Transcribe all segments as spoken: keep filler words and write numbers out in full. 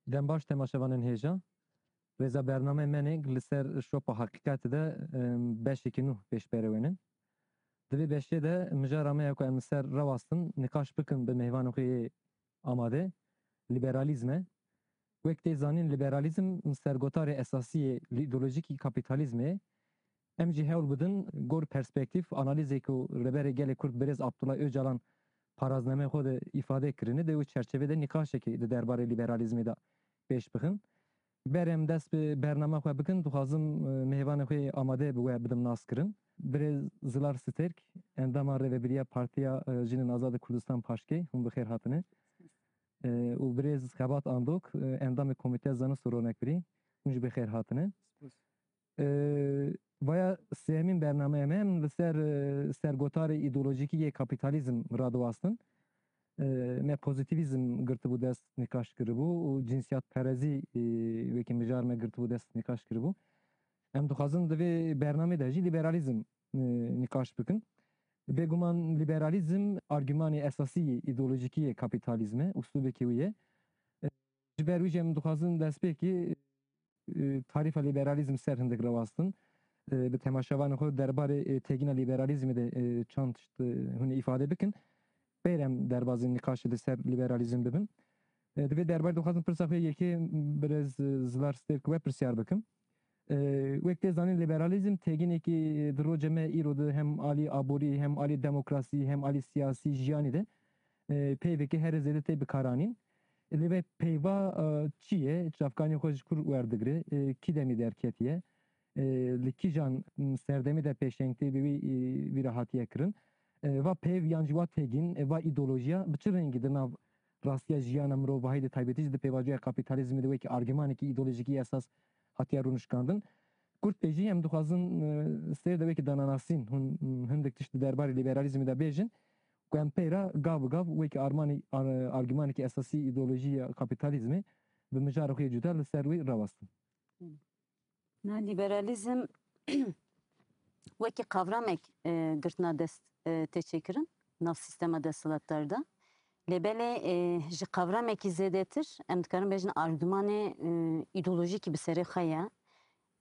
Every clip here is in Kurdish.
Dem baş temaşevanên hêja. Rêza bername menê li ser şopa heqîqetê de, em, beşekî nû pêş berewênin. Di vê beşê de mijara me ya ku em li ser rewastin nîqaş bikin bi mêvanê xwe yê amade, lîberalîzm e. Wek tê zanîn, lîberalîzm sergotarê esasî yê îdeolojîkî kapîtalîzmê ye. Em jî hewl bidin gor perspektîf, analîzê ku Rêberê Gelê Kurd Birêz Abdullah Ocalan paraznameyê xwe de îfade kirine, di wê çerçevê de nîqaşekê di derbarê lîberalîzmê de pêş bixin. Berê em dest bi bername xwe bikin, dixwazim, e, mêvanê xwe amade bi we bidim naskirin. Birêz Zilar Stêrk, endama Rêvebiriya Partiya, e, Jinên Azad ê Kurdistan, paşkê, hûn bi xêr hatine. E, û birêz Xebat Andok, e, endamê Komîteya Zanist û Ronakbirî, hûn jî bi xêr hatine. Spas. E, vaya sêyemîn bernameya me, em li ser, e, sergotarê îdeolojîkî yê kapîtalîzm radiwastin. E, me pozîtîvîzm girtibû dest, nîqaş kiribû û cinsiyetperezî, e, wekî mijar me girtibû dest, nîqaş kiribû. Em dixwazin di vê bernamê de jî lîberalîzm, e, nîqaş bikin. Bêguman lîberalîzm argümanê esasî yê îdeolojîkî yê kapîtalîzm e, uslûbekî wî ye. E, ji ber wî jî em dixwazin destpêkê, e, tarîfa lîberalîzm ser hindik rewastin. E, bi temaşevanê xwe derbarê, e, têgîna lîberalîzmê de, e, çand tişt, e, hûn ê îfade bikin. Peyre em derbazî nîqaşê li ser lîberalîzm bibin. E, di vê derbarê dixwazim pirsa xwe yekê birêz, e, Zilar Stêrk we pirsyar bikim. E, wek tê zanîn, lîberalîzm têgînekî di rojê me îro de hem alî aborî, hem alî demokrasî, hem alî siyasî jiyanî de, e, peyvekî herê zêde tê bikaranîn. Lê vê peyva, e, çi ye? Çavkanî xwe ji kur werdigire? E, kî demî derketiye? E, li kîjan, m, serdemê de pêşengtê bi wî, e, vî re hatiye kirin? E, va peyv yan jî wa têgîn, e, va îdeolojiya bi çi rengî di nav rastiya jiyana mirovahî de, taybetî jî di pêvajoya kapîtalîzmê de wekî argümanekî îdeolojîkî esas hatiye rûnişkandin? Kurt pê jî em dixwazin, e, sêr de wekî dananasîn hûn, m, hindik tişt di derbarê lîberalîzmê de bêjin, ku em peyra gav bi gav wekî armanê, ar-, argümanekî esasî îdeolojî ya kapîtalîzmê bi mijarê xwe yê cuda li ser wî rawestin. Na, lîberalîzm wekî qavramek, e, girtina dest, e, tê çêkirin nav sîstema desthilatdar de. Lê belê, e, ji qavramekî zêdetir, em dikarin bêjin, argümanê, e, îdeolojîkî bi serê xwe ye.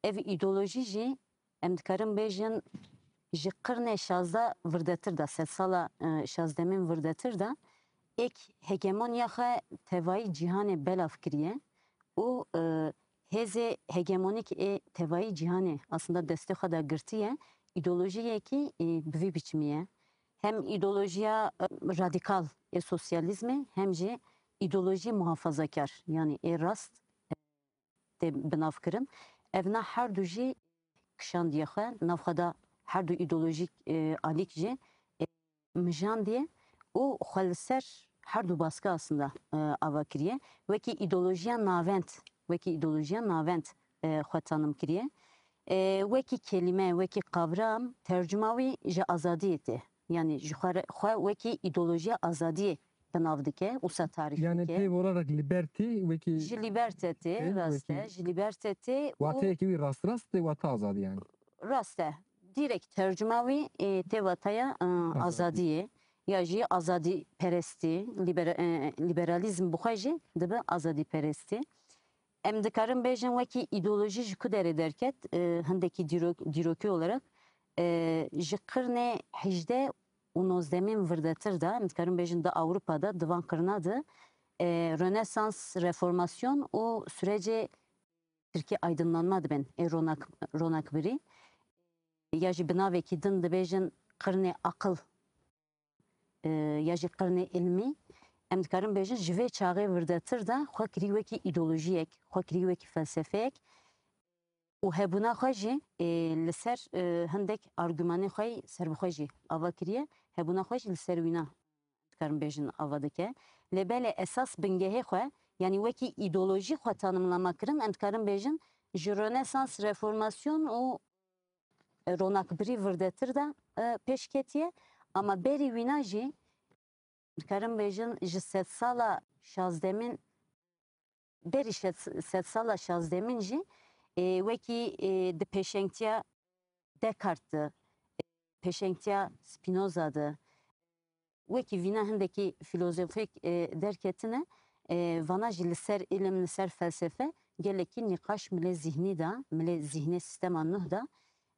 Ev îdeolojî jî, em dikarin bêjin, ji qirnê şazdeh virdetir de, sedsala, e, şazdemîn virdetir de, êk hegemoniya xwe tevayî cîhanê belav kiriye û, e, hêzê hegemonîk ê tevayî cîhanê aslında destê xwe de girtiye, îdeolojiyekî, e, bi vî biçimî ye. Hem îdeolojiya, e, radîkal ê sosyalîzmê, hem jî îdeolojiyê muhafazakar, yanî ê rast, e, tê binavkirin. Evna her du jî kişandiye xwe, nav xwe de her du îdeolojîk, e, alîk jî, e, mijandiye û xwe li ser her du baskı aslında, e, ava kiriye. Wekî îdeolojiya navend, wekî îdeolojiya navend, e, xwe tanim kiriye. E, wekî kelîme, wekî qavram, tercuma wî ji azadiyê tê. Yanî ji xwe re, xwe wekî îdeolojiya azadiyê bi nav dike, wisa tarîf Yani dike. Peyv olarak liberty wekî Ji liberty tê, Peyv rast e, wekî ji liberty tê û Wateyekî wî rast rast tê, wata azadî yani. Rast e. Direkt tercuma wî, e, tê wataya, e, Azadî. Azadiyê. Ya jî azadî perestî, libera-, e, liberalîzm bi xwe jî dibe azadî perestî. Em dikarin bêjin wekî îdeolojî ji ku derê derket, e, hindekî dîrok-, dîrokî olarak, e, ji qirnê hejdeh û nozdemîn virdetir de, em dikarin bêjin di Ewropa de, di van qirna de, e, Rönesans, Reformasyon û sürecê Tirkî aydınlanma dibên, ê ronak-, ronakbirî. Ya jî bi navekî din dibêjin qirnê aqil, e, ya jî qirnê ilmî. Em dikarin bêjin ji vê çaxê virdetir de xwe kirî wekî îdeolojiyek, xwe kirî wekî felsefeyek û hebûna xwe jî, e, li ser, e, hindek argümanê xwe yî serbixwe jî ava kiriye, hebûna xwe jî li ser wîna dikarin bêjin ava dike. Lê belê esas bingehê xwe, yanî wekî îdeolojî xwe tanimlama kirin, em dikarin bêjin ji Rönesans, Reformasyon û ronakbirî virdetir de, e, pêş ketiye. Ama berî wîna jî dikarin bêjin ji sedsala şazdemîn, berî şed-, sedsala şazdemîn jî, e, wekî, e, di pêşengtiya Descartes de, pêşengtiya Spinoza de, wekî vîna hindekî filozofek, e, derketine, E, vana jî li ser îlim, li ser felsefe gelekî nîqaş milê zîhnî de, milê zîhnê sîstema nuh de,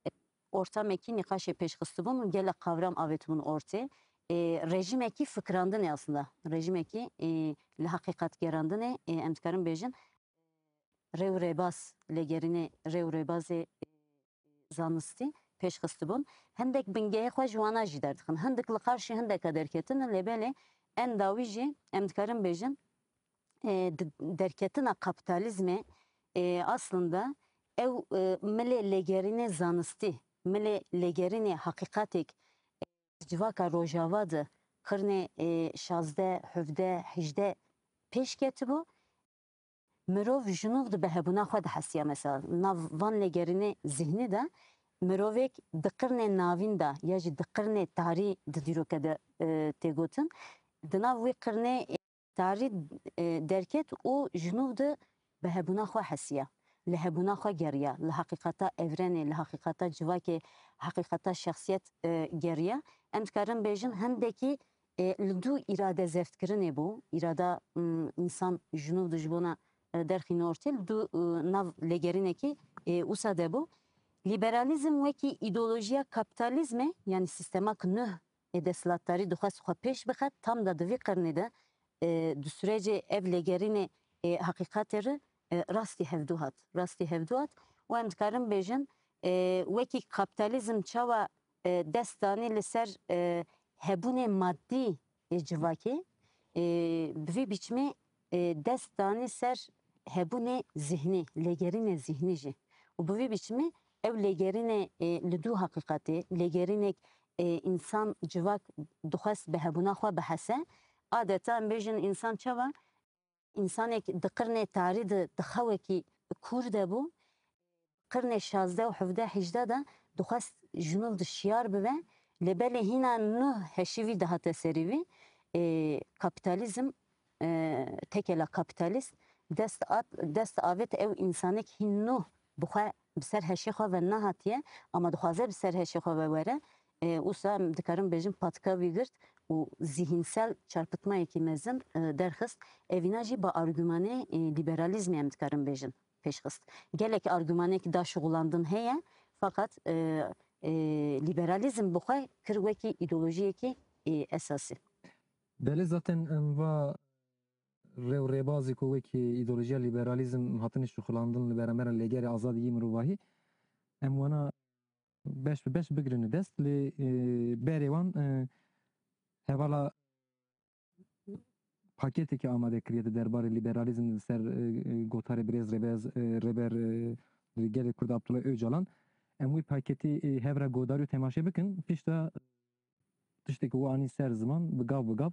e, ortamekî nîqaşê pêş xistibûn û gelek qavram avêtibûn ortê. E, rejîmekî fikirandinê aslında, rejîmekî, e, li heqîqatgerandinê, e, em dikarin bêjin, rê û rêbaz, lêgerînê rê û rêbazê, e, zanistî pêş xistibûn. Hindek bingehê xwe ji wana jî derdixin. Hindik li qarşî hindeka derketin, lê belê en dawî jî em dikarin bêjin, e, di-, derketina kapîtalîzmê, e, aslında ew, e, milê lêgerînê zanistî, milê lêgerînê heqîqatêk, e, civaka Rojava de qirnê, e, şazdeh, hevdeh, hejdeh pêş ketibû. Mirov ji nû di bi hebûna xwe dihesiya, mesela, nav van lêgerînê zihnî de mirovêk di qirnê navîn de ya jî di qirnê tarî di dîroke de, e, tê gotin. Di nav wî qirnê tarî, e, derket û ji nû di bi hebûna xwe hesiya, li hebûna xwe geriya, li heqîqeta evrenê, li heqîqeta civakê, heqîqeta şexsiyet, e, geriya. Em dikarin bêjin hindekî, e, li dû îrade zevtkirinê bû, îrada, m, însan ji nû di ji bona, e, derxîne ortê, li dû, e, nav lêgerînekî, e, wisa de bû. Lîberalîzm wekî îdeolojiya kapîtalîzmê, yanî sîstema ki nuh ê desthilatdarî dixwest xwe pêş bixe, tam da di vî qirnê de, e, di sürecê ev lêgerînê, e, heqîqatê re, e, rastî hevdû hat. Rastî hevdû hat û em dikarin bêjin, e, wekî kapîtalîzm çawa, e, dest danî li ser, e, hebûnê madî ê civakê, e, bi vî biçimê, e, dest danî ser hebûnê zihnî, lêgerînê zihnî jî. Û bi vî biçimê ew lêgerînê, e, li dû heqîqetê, lêgerînek, e, însan, civak dixwest bi hebûna xwe bihese. Adeta em bêjin însan çawa, însanek di qirnê tarî de di xewekî kûr de bû, qirnê şazdeh û hevdeh, hejdeh de dixwest ji nû di şiyar bibe, lê belê hîna nuh heşî vî dihate serî vî, e, kapîtalîzm, e, tekela kapîtalîst dest at, dest avêt ew însanek hîn nuh bi xwe, bi ser heşê xwe ve nehatiye, ama dixwaze bi ser heşê xwe ve were. E, wisa em dikarin bêjin patika wî girt û zîhînsel çarpitmayekî mezin, e, derxist. Evîna jî bi argümanê, e, lîberalîzmê em dikarin bêjin pêşxist. Gelek argümanêk da şixulandin heye, feqet, e, e, lîberalîzm bi xwe kir wekî îdeolojiyekî, e, esasî. Belê zaten em va rê û rêbazî ku wekî îdeolojiya lîberalîzm hatine şixulandin li beramberê lêgerê azadî yî mirovahî, em wana beş bi beş bigrin dest, lê, e, berê wan, e, hevala paketekê amade kiriye di derbarê lîberalîzm li ser, e, e, gotarê birêz rêbez, e, rêber, e, gelê Kurd Abdullah Ocalan. Em wî paketî, e, hev re godarî û temaşe bikin. Pişta tiştê ku û anî ser ziman bi gav bi gav.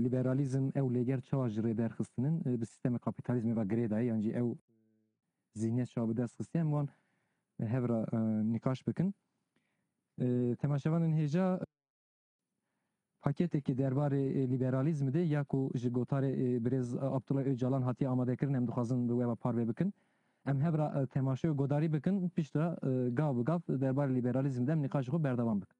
Lîberalîzm ew lêger çawa ji rê derxistinin, e, bi sîstemê kapîtalîzmê ve girêdayê, yan jî ew zihniyet çawa bi dest xistiye, em wan hev re, e, nîqaş bikin. E, temaşevanên hêja, paketekî derbarê, e, lîberalîzmê de ya ku ji gotarê, e, birêz Abdullah Ocalan hatiye amadekirin, em dixwazin bi we ve parve bikin. Em hev re, e, temaşe û godarî bikin, piştre, e, gav bi gav derbarê lîberalîzmê de em nîqaşê xwe berdewam bikin.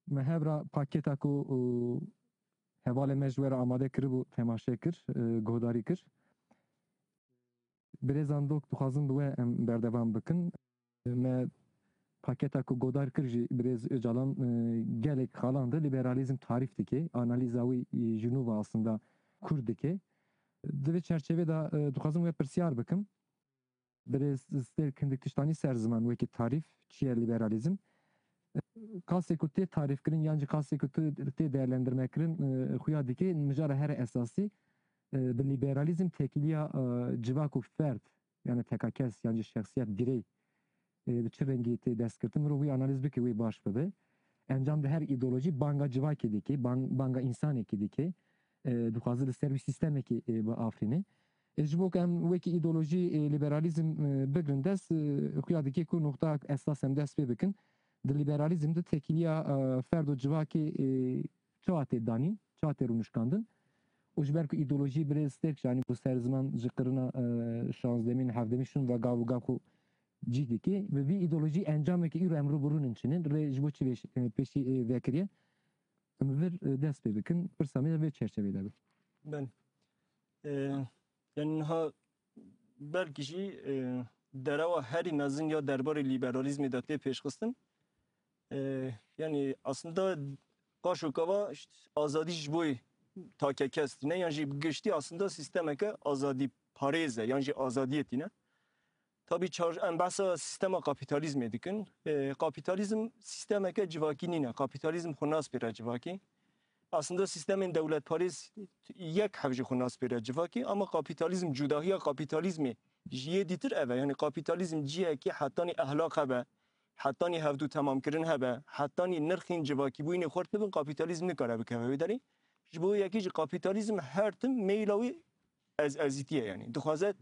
Me hev re pakêta ku, û, hevalê me ji we re amade kiribû, temaşe kir, e, guhdarî kir. Birêzan dok dixwazin bi we em berdewam bikin. Me pakêta ku godar kir jî birêz Ocalan, e, gelek xalan de liberalîzm tarîf dike. Analîza wî, e, ji nû ve aslında kûr dike. Di vê çerçevê de, e, dixwazim we pirsyar bikim. Birêz Stêrk hindik tiştanî ser ziman wekî tarîf, çi ye liberalîzm? Kasê ku tê tarîfkirin yan jî kasê ku tu tê değerlendirmekirin, e, xuya dike mijara here esasî, e, bi liberalîzm tekîliya, e, civak û ferd, yani tekakes yan jî şexsiyet, birey, e, bi çi rengî tê destgirtin, mirov wî analîz bike, wî baş bibe. Encam de her îdeolojî banga civakê dike, bang-, banga însanekî dike. E, dixwaze li ser wî sîstemekî, e, biafirîne. E, ji bo ku em wekî îdeolojî, e, liberalîzm, e, bigrin dest, e, xuya dike ku noqta esas em dest pê bikin. Di liberalîzm de tekîliya, e, ferd û civakê, e, çawa tê danîn, çawa tê rûnişkandin. Û ji ber ku îdeolojî birêz Stêrk, yanî, bo ser ziman ji qirina, e, şazdemîn, hevdemîn şûn ve gav û gav xwe cî dike. Bi vî îdeolojî encamekî îro em rû bi rû nin çinin. Rê ji bo çi vê, e, pêşî, e, vekiriye? Em vir, e, dest pê bikin. Pirsa me de vê çerçevê de be. Belê. E, yani niha belkî jî, e, derewa herî mezin ya derbarê liberalîzmê de tê pêşxistin. E, yani aslında qaşo kava işte azadî ji bo takekes tîne, yan jî bi giştî aslında sîstemeke azadî parêz e, yan jî azadiyê tîne. Tabî çar-, em behsa sîstema kapîtalîzmê dikin. E, kapîtalîzm sîstemeke civakî nîne. Kapîtalîzm xwe nas pêre civakî. Aslında sîstemên dewletparêz yek hev jî xwe nas pêre civakî, ama kapîtalîzm, cudahiya kapîtalîzmê ji yê dîtir ev e. Yanî kapîtalîzm cihekî hetanî ehlaq hebe, hetanî hevdû temamkirin hebe, hetanî nirxên civakîbûyînê xurt bibin, kapîtalîzm nikare bikeve wê derê. Ji bo yekî jî kapîtalîzm her tim meyla wî ez-, ezîtî ye, yanî dixwaze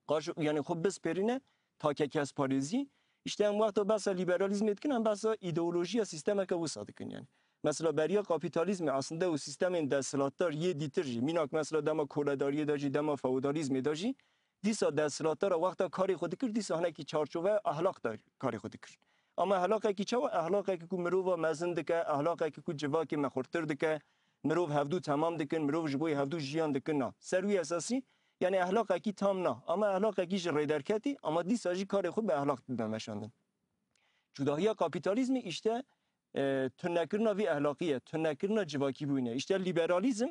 qaş-, yanî xwe bispêrîne takekesparêzî. Îşte em wexta behsa lîberalîzmê dikin, em behsa îdeolojiya sîstemeke wisa dikin, yanî. Mesela beriya kapîtalîzmê aslında û sîstemên desthilatdar yê dîtir jî, mînak mesela dema koledariyê de jî, dema feodalîzmê de jî, dîsa desthilatdara wexta karê xwe dikir, dîsa hinekî çarçoveya ehlaq de karê xwe dikir. Ama ehlaqekî çawa? Ehlaqekî ku mirova mezin dike, ehlaqekî ku civakê me xurtir dike, mirov hevdû temam dikin, mirov ji bo hevdû jiyan dikin na. Ser wî esasî, yanî ehlaqekî tam na. Ama ehlaqekî ji rêderketî, ama dîsa jî karê xwe bi ehlaq dide meşandin. Cudahiya kapîtalîzmê îşte, e, tunekirina vî ehlaqî ye, tunekirina civakîbûyî ne. Îşte lîberalîzm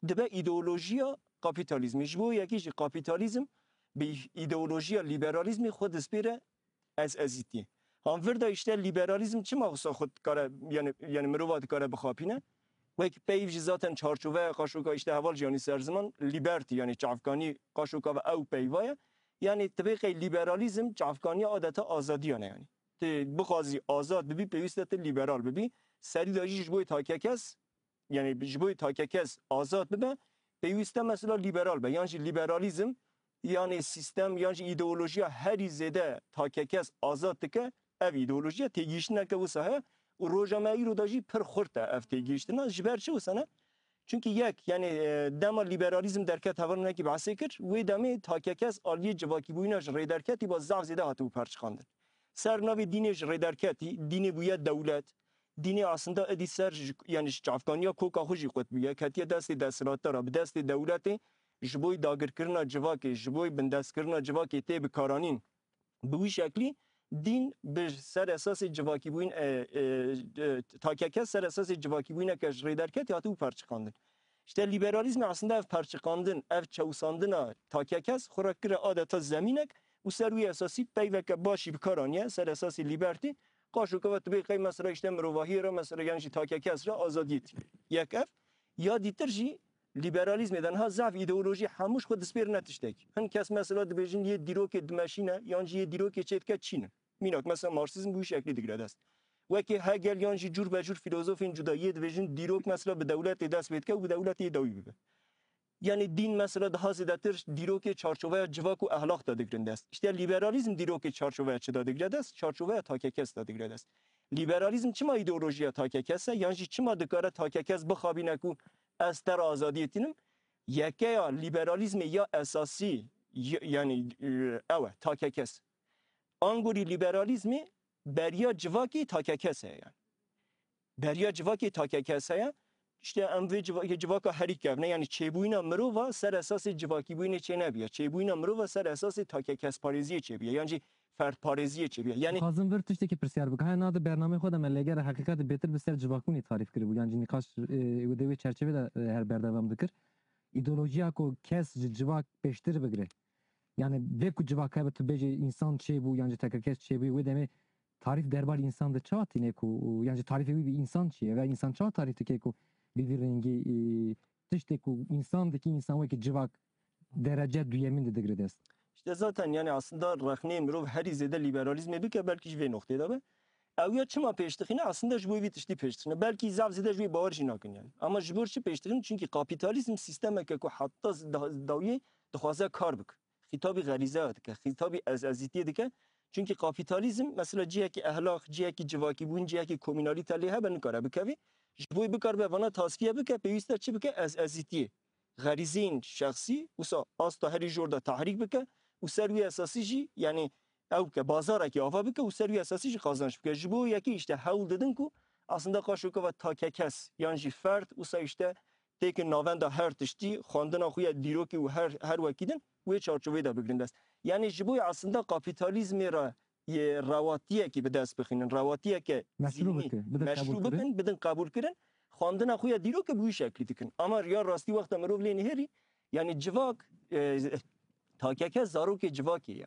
dibe îdeolojiya kapîtalîzmê. Ji bo yekî jî kapîtalîzm bi îdeolojiya lîberalîzmê xwe dispêre ez-, ezîtiyê. Han vir de îşte lîberalîzm çima wisa xwe dikare, yanî, yanî mirova dikare bixapîne? Wek peyv jî zaten çarçoveya qaşoka îşte heval jî yanî ser ziman liberty, yanî çavkanî qaşoka ve ew peyva ye. Yanî tibê qey lîberalîzm çavkaniya adeta azadiyan e yanî. Tu bixwazî azad bibî, pêwîst e tu lîberal bibî. Serî de jî ji bo takekes, yanî ji bo takekes azad bibe, pêwîst e mesela lîberal be. Yan jî lîberalîzm, yanî sîstem, yan jî îdeolojiya herî zêde takekes azad dike, ev îdeolojiya têgihiştineke wisa heye û roja me îro de jî pir xurt e ev têgihiştina. Ji ber çi wisa ne? Çunkî yek, yanî, e, dema lîberalîzm derket, hevalekî behsê kir, wê demê takekes aliyê civakîbûyîna ji rêderketî ba zaf zêde hatibû perçiqandin. Ser navê dînê ji rêderketî, dînê bûye dewlet, dînê aslında êdî ser ji, yanî ji çavkaniya koka xwe jî qut bûye, ketiye destê desthilatdara, bi destê dewletê, ji bo dagirkirina civakê, ji bo bindestkirina civakê tê bikaranîn. Bi wî şeklî dîn bi ser esasê civakîbûyîn, e, e, e, takekes ser esasê civakîbûyîneke ji rêderketî hatibû perçiqandin. Îşte lîberalîzmê aslında ev perçiqandin, ev çewsandina takekes xwe re kire adeta zemînek û ser wî esasî peyveke baş jî bi kar aniye, ser esasê lîbertî, qaşoka ve tibê qey mesela îşte mirovahiyê re mesela yan jî takekes re azadiyê tî. Yek ev, ya dîtir jî lîberalîzmê de niha zaf îdeolojî hemû ji xwe dispêrine tiştekî. Hin kes mesela dibêjin yê dîrokê dimeşîne yan jî yê dîrokê çêdike çîn in. Mînak mesela marksîzm bi wî şeklî digire dest. Wekî Hegel yan jî cûr be cûr fîlozofên cuda yê dibêjin dîrok mesela bi dewletê dest pê dike û bi dewletê dawî bibe. Yanî dîn mesela daha zêdetir dîrokê çarçoveya civak û ehlaq de digirin dest. Îşte lîberalîzm dîrokê çarçoveya çi de digire dest? Çarçoveya takekes de digire dest. Lîberalîzm çima îdeolojiya takekes e? Yan jî çima dikare takekes bixabîne ku ez te re azadiyê tînim? Yekeya lîberalîzmê ya esasî, y-, yanî, e, ew e, takekes. Angorî lîberalîzmê beriya civakî takekes heye yanî. Beriya civakê takekes heye. Îşte em vê civa-, yê civaka herî kevne, yanî çêbûyîna mirova ser esasê civakîbûyînê çênebiye. Çêbûyîna mirova ser esasê takekesparêziyê çêbiye, yan jî ferdparêziyê çêbiye. Yanî Dixwazim vir tiştekî pirsiyar bikim. Haya niha di bernameyê xwe de me lêgera heqîqetê bêtir bi ser civakbûnê tarîf kiribû. Yan jî nîqaş, e, wê de wê çerçevê de, e, her berdewam dikir. Îdeolojiya ku kes ji civak pêştir bigire. Yani vê ku civak hebe tu bêjî însan çêbû yan jî tekekes çêbû, wê demê tarîf derbarê însan de çawa tîne ku, yan jî tarîfê wî bi însan çi ye? Ve însan çawa tarîf dike ku bi vî rengî, e, tiştê ku însan dikî, însan wekî civak derece duyemîn de digire dest? İşte zaten yani aslında rexneyê mirov herî zêde lîberalîzmê bike belkî ji vê noxtê de be. Ew ya çima pêş dixîne? Aslında ji bo vî tiştî pêş dixîne. Belkî zaf zêde ji wê bawer jî nakin yani. Ama ji bo çi pêş dixîne? Çünkü kapitalizm sîstemeke ku heta da-, dawiyê dixwaze kar bike. Xîtabî xerîzeya dike, xîtabî ez-, ezîtiyê dike. Çünkü kapitalizm mesela cihekî ehlaq, cihekî civakîbûn, cihekî komînalîte lê hebe nikare bikevî. Ji bo bikaribe vana tasfiye bike, pêwîst e çi bike? Ez-, ezîtiyê. Xerîzeyên şexsî wisa asta herî jor de tehrîk bike û ser wî esasî jî, yanî ew ke bazarekî ava bike û ser wî esasî jî qazanç bike. Ji bo yekî îşte hewl didin ku aslında qaşoka ve takekes yan jî ferd wisa îşte têkin navenda her tiştî, xwendina xwe ya dîrokî û her, her wekî din wê çarçoveyê de bigrin dest. Yanî ji bo aslında kapîtalîzmê re yê rewatiyekî bi dest bixînin, rewatiyeke Meşrû zîhnî bike, bide qebûl meşrû kirin. Bikin, bidin qebûl kirin, xwendina xwe ya dîrokê bi wî şeklî dikin. Ama ya rastî wexta mirov lê nihêrî, yanî civak, e, takeke zarokê civakê ye.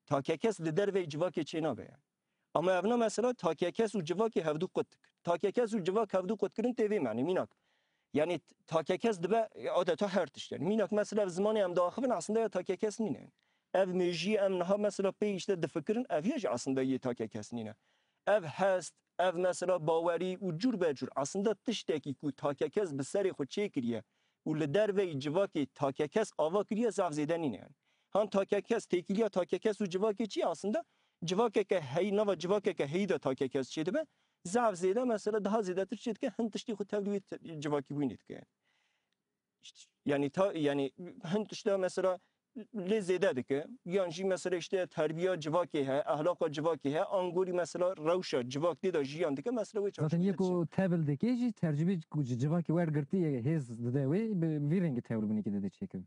Takekes li derveyî civakê çênabe yani. Ama evna mesela takekes û civakê hevdû qut dikir. Takekes û civak hevdû qutkirin tê vê menê mînak. Yani takekes dibe adeta her tişt yani. Mînak mesela ev zimanê em diaxivin aslında ya takekes nîne yani. Ev mêjiyê em niha mesela pê işte difikirin ev ya jî aslında yê takekes nîne. Ev hest, ev mesela bawerî û cûr be cûr aslında tiştekî ku takekes bi serê xwe çêkiriye û li derveyî civakê takekes ava kiriye zaf zêde nîne yani. Han takekes, têkiliya takekes û civakê çi ye aslında? Civakeke heyî, nava civakeke heyî de takekes çêdibe. Zaf zêde mesela daha zêdetir çêdike hin tiştî xwe tevlî wê te-, civakî bûyînê dike yani. İşte, yani ta, yani hin tişta mesela lê zêde dike. Yan jî mesela işte terbiya civakê he, ehlaqa civakê he, angorî mesela rewşa civak tê de jiyan dike mesela wê Zaten çarşoyê yek de çi? Ku tevil dike jî tercibê ku ji civakê wergirtî hêz dide wê bi vî rengî tevil binêkê dide çêkirin.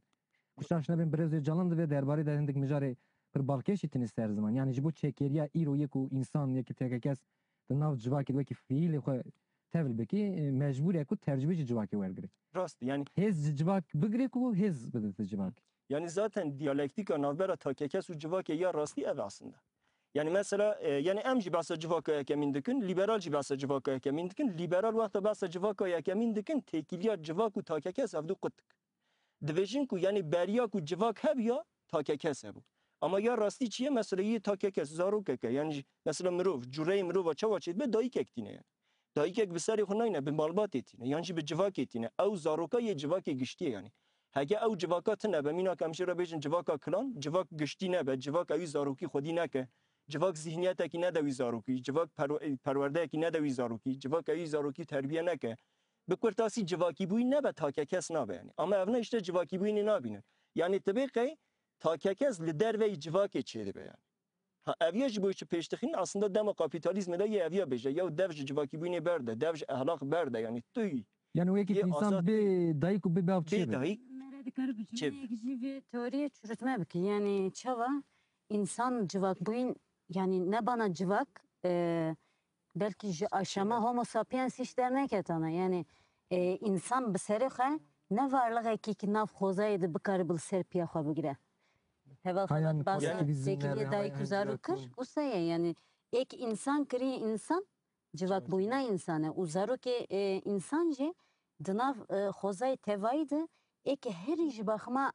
Ku şaş nebin birêz Ocalan di vê derbarê de hindik mijarê pir balkêş jî tîne ser ziman. Yani ji bo çêkeriya îro yek û însan yekî tekekes di nav civakê de wekî fiîlê xwe tevil bikî, e, mecbûr e ku tercibê ji civakê wergirê. Rast, yani Hêz ji civak bigirê ku hêz bidite civak. Yani zaten diyalektîka navbera takekes û civakê ya rastî ev aslında. Yani mesela, e, yani em jî behsa civaka yekemîn dikin, liberal jî behsa civaka yekemîn dikin, liberal wexta behsa civaka yekemîn dikin, têkiliya civak û takekes hevdû qut dikin. Dibêjin ku yani beriya ku civak hebiya, takekes hebû. Ama ya rastî çi ye? Mesela yê takekes, zarokeke, yani jî, mesela mirov, cureyê mirova çawa çêdibe, dayikek tîne yani. Dayikek bi serê xwe nayne, bi malbatê tîne, yan jî bi civakê tîne. Ew zaroka yê civakê giştî ye yani. Heke ew civaka tine be, mînak em jê re bêjin civaka kilan, civak giştî nebe, civak ewî zarokî xwedî neke, civak zihniyetekî nede wî zarokî, civak perwe-, perwerdeyekî nede wî zarokî, civak ewî zarokî terbiye neke. Bi kurtasî civakîbûyîn nebe takekes nabe yani. Ama evna işte civakîbûyînê nabînin. Yani tibê qey takekes li derveyî civakê çêdibe yani. Ha, ev ya ji bo çi pêş dixîn? Aslında dema kapîtalîzmê de yê ev ya bêje, ya dev ji civakîbûyînê berde, dev ji ehlaq berde, yani tu yî. Yani wekî yê insan azad bê dayik û bê bav bê çi be? Dayik Mere dikare bi çi be? Cümleyek jî vê teoriyê çürütme bike. Yani çawa insan civakbûyîn, yani ne bana civak, e, belkî ji aşama Homo sapiens hiç derneketana. Yani, e, insan bi serê xwe ne varlixekî ki nav xozayê de bikare bi li ser piya xwe bigire. Heval Hayan xelat basa pozitivizmler têkiliyê ve dayik û zarok kir, Herakl. Wisa ye yani êk insan kiriye insan, civakbûyîna însan e û zarokê, e, însan jî di nav, e, xozayê tevayî de êkê herî ji baxima,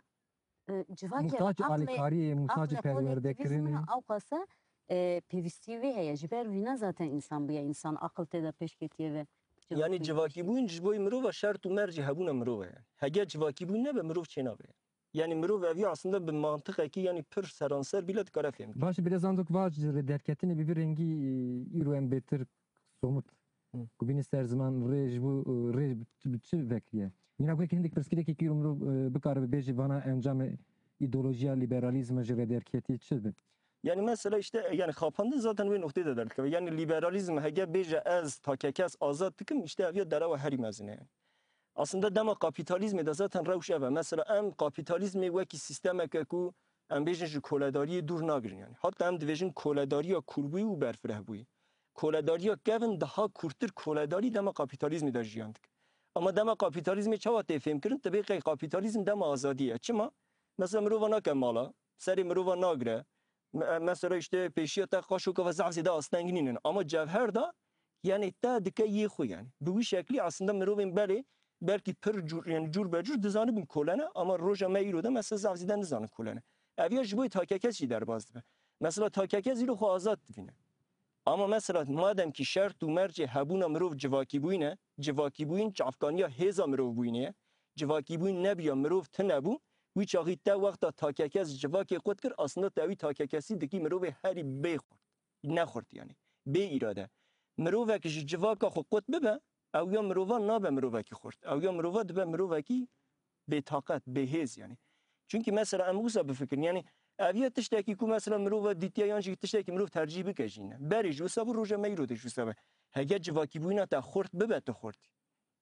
e, civakê Muhtaç aqlê, alîkariyê, muhtaç aqlê xwe perwerdekirinê. Nêtivîzmine ewqasa, e, pêvîstî wê heye. Ji ber wîna zaten însan bûye însan, aqil tê de pêş ketiye ve. Yani civakîbûyîn ji bo mirova şert û mercê hebûna mirov e. Hege civakîbûyîn nebe mirov çênabe. Yani mirov ev ya aslında bi mantiqekî yani pir seranser bîle dikare fêm. Baş e, biraz antok vac ji rê derketinê bi vî rengî, e, îro em bêtir somut. Hı. Ku bîne ser ziman rê ji bo, e, rê bi çi, bi çi vekiriye? Mînak wekî hindik pirsgirêkî îro mirov, e, bikare bibêje vana encamê îdeolojiya liberalîzma ji rê derketî çi be? Yani mesela işte, e, yani xapandin zaten wê noqtê de derdikeve. Yani liberalîzm hege bêje ez takekes azad dikim, işte ev ya derewa herî mezin e yani. Aslında dema kapîtalîzmê de zaten rewş ev e. Mesela em kapîtalîzmê wekî sîstemeke ku em bêjin ji koledariyê dûr nagirin yani. Hatta em dibêjin koledariya kûrbûyî û berfirehbûyî. Koledariya kevin daha kûrtir koledarî dema kapîtalîzmê de jiyan dike. Ama dema kapîtalîzmê çawa tê fêmkirin? Tibê qey kapîtalîzm dema azadî ye. Çima? Mesela mirova nake mala, serê mirova nagire, Me-, mesela işte pêşiya te qaşoka ve zaf zêde asteng nînin. Ama cevher de yani te dike yê xwe yani. Bi wî şeklî aslında mirovên berê belkî pir cûr, yani cûr be cûr dizanibin kolene ama roja me îro de mesela zaf zêde nizanin kolene. Ev ya ji bo takekes jî derbas dibe. Mesela takekes îro xwe azad dibîne. Ama mesela madem ki şert û mercê hebûna mirov civakîbûyîn e, civakîbûyîn çavkaniya hêza mirov bûyînê ye, civakîbûyîn nebiya mirov tune bû, wî çaxî te wexta takekes civakê qut kir, aslında te wî takekesî dikî mirovê herî bê xurt, nexurt yani, bê îrade. Mirovek ji civaka xwe qut bibe, ew ya mirova nabe mirovekî xurt. Ew ya mirova dibe mirovekî bêtaqet, bêhêz yani. Çunkî mesela em wisa bifikirin, yani ev ya tiştekî ku mesela mirova dîtiye yan jî tiştekî mirov tercîh bike jî ne. Berê ji wisa bû, roja me îro de ji wisa be. Hege civakîbûyîna te xurt bibe, tu xurtî.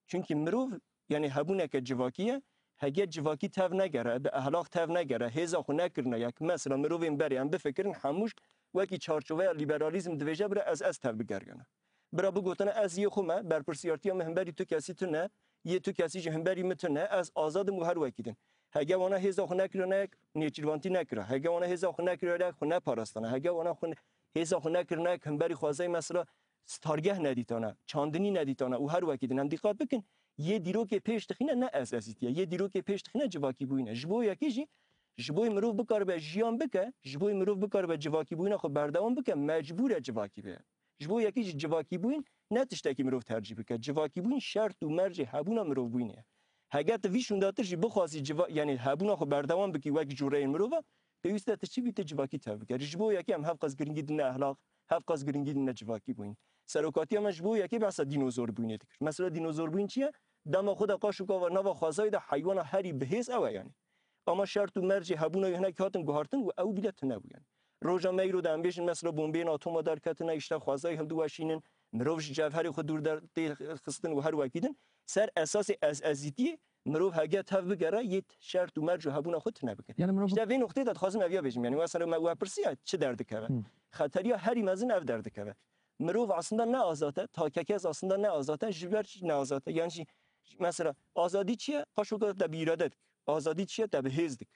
Çunkî mirov, yani hebûneke civakî ye, hege civakî tev negere, bi ehlaq tev negere, hêza xwe nekirine yek. Mesela mirovên berê em bifikirin, hemû ji wekî çarçoveya liberalîzm dibêje bira ez, ez tev bigeriyana. Bira bigotine ez yê xwe me, berpirsiyartiya min himberî tu kesî tune, yê tu kesî jî himberî min tune, ez azad im û her wekî din. Hege wana hêza xwe nekirine yek nêçîrvantî nekira. Hege wana hêza xwe nekirine yek xwe neparastana. Hege wana xwe ne-, hêza xwe nekirine yek himberî xwezayê mesela stargeh nedîtana, çandinî nedîtana û her wekî din em dîqat bikin, yê dîrokê pêş dixîne ne ez-ezîtî ye. Yê dîrokê pêş dixîne civakîbûyîn e. Ji bo yekî jî, ji bo mirov bikaribe jiyan bike, ji bo mirov bikaribe civakîbûyîna xwe berdewam bike, mecbûr e civakî be. Ji bo yekî jî civakîbûyîn ne tiştekî mirov tercîh bike. Civakîbûyîn şert û mercê hebûna mirovbûyînê ye. Hege tu vî şûndatir jî bixwazî civa-, yanî hebûna xwe berdewam bikî wek cûreyên mirova, pêwîst e tu çi bî tu civakî tev bikerî. Ji bo yekê em hevqas giringî dine ehlaq, hevqas giringî dine civakîbûyîn. Serokatiya me ji bo yekê behsa dînozorbûyînê dikir. Mesela dînozorbûyîn çi ye? Dema xwe de qaş û kava nava xwezayê de heywana herî bihêz ew e yanî. Ama şert û mercê hebûna wî hinek hatin guhartin û ew bîle tune bû yanî. Roja me îro de em bêjin mesela bombeyên atoma derketine, îşte xwezayê hildiweşînin, mirov ji cevherê xwe dûr der tê xistin û her wekî din. Ser esasê ez-ezîtiyê mirov hege tev bigere yê şert û merc û hebûna xwe tune bike. Yani mirov... Îşte vê noqtê de dixwazim eviya bêjim. Yanî mesela me we pirsiya çi derdikeve? Hı. Xeteriya herî mezin ev derdikeve. Mirov aslında ne azad e, takekez aslında ne azad e, ji ber çi ne azad e? Yanî jî, mesela azadî çi ye? Qaşoka te bi îrade dik. Azadî çi ye? Te bi hêz dik.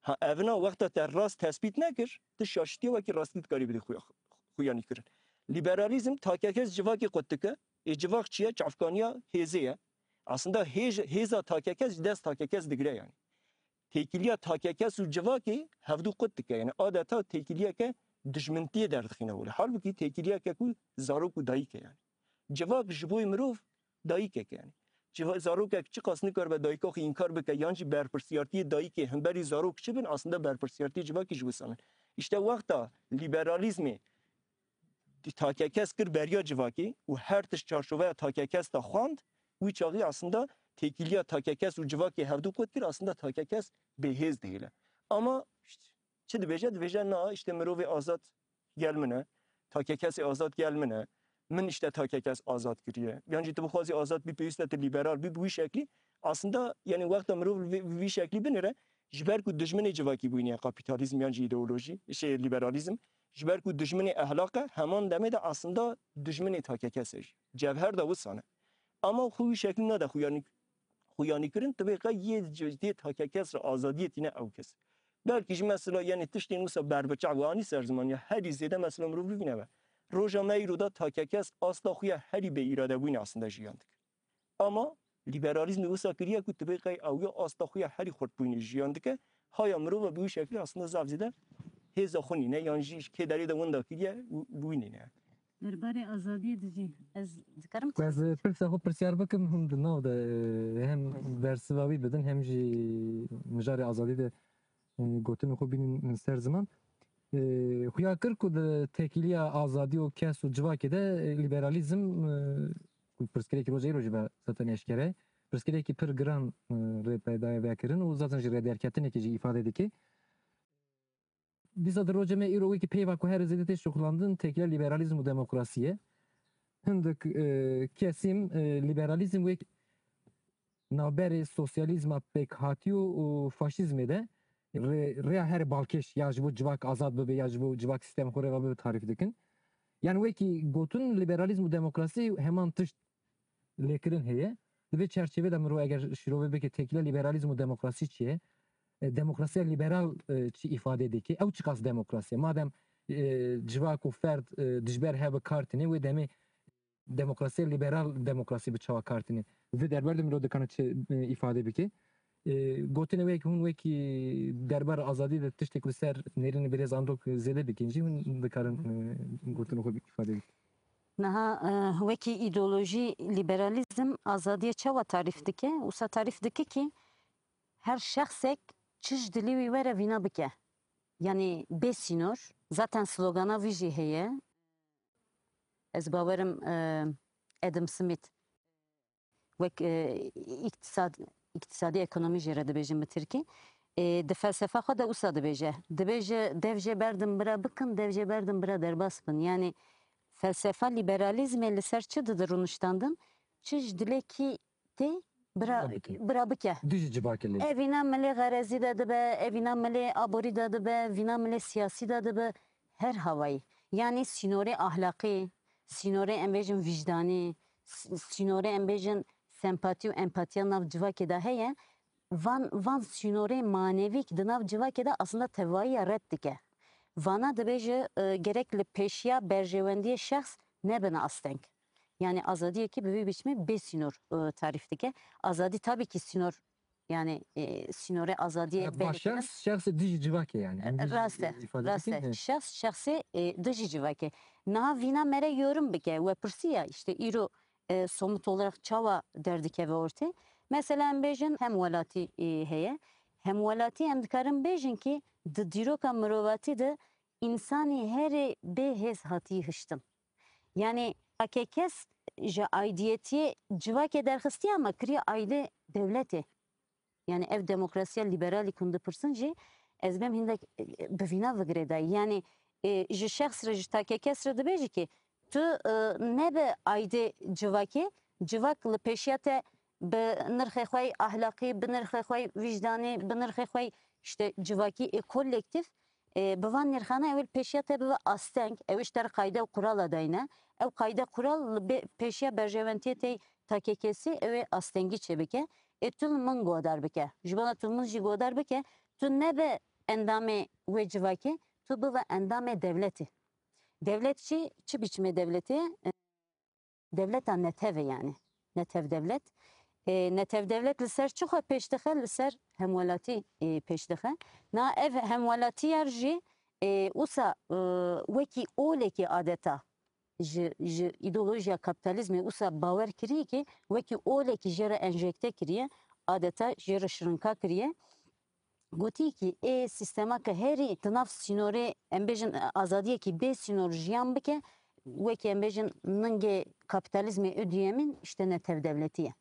Ha, evina wexta te rast tespît nekir, tu şaşitiye wekî rastî dikarî bidî xuya-, xuyanî kirin. Liberalîzm takekez civakê qut dike. Ê civak çi ye? Çavkaniya hêzê ye. Aslında hêj-, hêza takekez ji dest takekez digire yanî. Têkiliya takekez û civakê hevdû qut dike. Yanî adeta têkiliyeke dijmintiyê derdixîne holê. Halbûkî têkiliyeke ku zarok û dayik e yanî. Civak ji bo mirov dayikek e yanî. Civa-, zarokek çiqas nikaribe dayika xwe înkar bike yan jî berpirsiyartiyê dayikê hemberî zarok çi bin, aslında berpirsiyartiyê civakî ji wisan in. Îşte wexta liberalîzmê takekez kir beriya civakê û her tişt çarçoveya takekez de xwand, wî çaxî aslında têkiliya takekez û civakê hevdû qut kir, aslında takekez bêhêz dihêle. Ama çi dibêje? Dibêje, na, îşte mirovê azad gel min e, takekesê azad gel min e, min îşte takekez azad kiriye. Yan jî tu bixwazî azad bî, pêwîst e tu lîberal bî, bi wî şeklî. Aslında, yanî wexta mirov vê, vî şeklî binire, ji ber ku dijminê civakîbûyînê ye kapîtalîzm yan jî îdeolojî, şey, lîberalîzm, ji ber ku dijminê ehlaq e, heman demê de aslında dijminê takekes e jî. Cevher de wisan e. Ama xwe wî şeklî nade xuyanî, xuyanî kirin, tu bê qey yê c-, yê takekes re azadiyê tîne ew kes. Belkî jî mesela, yanî tiştên wisa berbiçav û anî ser ziman ya herî zêde mesela mirov bivîne be. Roja me îro de takekes asta xwe ya herî bê îradebûyîne aslında jiyan dike. Ama lîberalîzmê wisa kiriye ku tu bê qey ew ya asta xwe ya herî xurtbûyînê jiyan dike, haya mirova bi wî şeklî aslında zaf zêde hêza xwe nîne yan jî kê derê de winda kiriye û bi wî nîne. Derbarê azadiyê de jî ez dikarim... Ku ez pirsa xwe pirsyar bikim, hûn di nav de, e, hem bersiva wî bidin, hem jî mijarê azadî de, e, gotinê xwe bînin ser ziman. E, xuya kir ku di têkiliya azadî û kes û civakê de, e, lîberalîzm, e, ku pirsgirêkî roja îro jî be zaten eşkere, pirsgirêkî pir giran, e, rê peyda ye vekirin û zaten jî rêderketinekê jî îfade dike. Dîsa di rojê me îro wekî peyva ku her zêde tê şixulandin têkiliya lîberalîzm û demokrasî ye. Hindik, e, kesîm, e, lîberalîzm wek navberê sosyalîzma pêkhatî û, û faşîzmê de rê-, rêya herê balkêş ya ji bo civak azad bibe ya ji bo civak sîstemê xwe rê ve bibe tarîf dikin. Yanî wekî gotin lîberalîzm û demokrasî heman tişt lêkirin heye. Di vê çerçevê de mirov eger şîrove bike têkiliya lîberalîzm û demokrasî çi ye? E, demokrasiya lîberal, e, çi îfade dike? Ew çiqas demokrasî ye? Madem, e, civak û ferd, e, dijber hev bi kar tîne, wê demê demokrasiya lîberal demokrasî bi çawa kar tîne? Di vê derber de mirov dikane çi, e, îfade bike? E, gotinê wê ku hûn wekî derbar azadî de tiştek li ser nêrînê birêz Andok zêde bikin jî hûn dikarin, e, gotinê xwe îfade bikin. Niha, e, wekî îdeolojî lîberalîzm azadiyê çawa tarîf dike? Wisa tarîf dike ki her şexsek çi ji dilê wî were vîna bike. Yanî bê sînor, zaten slogana wî jî heye. Ez bawerim, e, Adam Smith wek, e, îktisad, îktisadî ekonomî jê re dibêjin bi tirkî. E, di felsefa xwe de wisa dibêje. Dibêje, dev jê berdin bira bikin, dev jê berdin bira derbas bin. Yanî felsefa lîberalîzmê li ser çi dide rûniştandin? Çi ji dilekî tê bira, bira bike. Bira bike. Dijî civakê lê. Evîna milê xerezî de dibe, evîna milê aborî de dibe, vîna milê siyasî de dibe, her hawayî. Yanî sînorê ahlaqî, sînorê em bêjin vîjdanî, s-, sînorê em bêjin sempatî û empatiya nav civakê de heye. van, van sînorê manevî ki di nav civakê de aslında tevahiya red dike. Vana dibêje, e, gerek li pêşiya berjewendiyê şexs nebin asteng. Yani azadiyekî bi vî biçimê bê sînor, e, tarîf dike. Azadî tabii ki sînor, yani, e, sînorê azadiyê... Evet, belli şexs, şexsê dijî civakê yani. Em dijî Rast e, ifade rast dikin, e. Şexs, şexsê, e, dijî civakê. Niha vîna mere yorum bike, we pirsiya, işte îro, e, somut olarak çawa derdikeve ortê? Mesela em bêjin hemwelatî, e, heye. Hemwelatî em dikarin bêjin ki di dîroka mirovatî de însanî herê bê hêz hatî hiştin. Yani takekes ji aidiyetiyê civakê derxistiye ama kiriye aide dewletê. Yani ev demokrasiya liberalî ku dipirsin jî ez bêm hindek, e, bi vîna vigirê dayî. Yani, e, ji şexs re, ji takekes re dibêjî ki tu, e, nebe aidê civakê, civak li pêşiya te bi nirxê xwe yê ahlaqî, bi nirxê xwe yê wijdanê, bi nirxê xwe yê işte civakî ê kolektîf, e, bi van nirxana ew ê li pêşiya te bibe asteng, ew ê ji te re qayde û qurala dayne. Ew qayde qural li bê-, pêşiya berjewendiyê tê takekesî ew ê astengî çêbike. Ê tu li min godar bike. Ji bona tu min jî godar bike, tu nebe endamê wê civakê, tu bibe endamê dewletê. Dewlet jî çi biçimê dewletê ye? Dewleta netev e yani. Netev dewlet. E, netev dewlet li ser çi xwe pêş dixe? Li ser hemwelatî, e, pêş dixe. Na ev hemwelatiyar jî, e, wisa, e, wekî olekî adeta ji, ji îdeolojiya kapitalizmê wisa bawer kiriye ki wekî olekî jê re enjekte kiriye, adeta jê re şirinka kiriye. Gotî ki ê sîstema ke herî di nav sînorê, em bêjin, azadiyekî bê sînor jiyan bike, wekî em bêjin ningê kapitalizmê û duyemîn işte netev dewletî ye.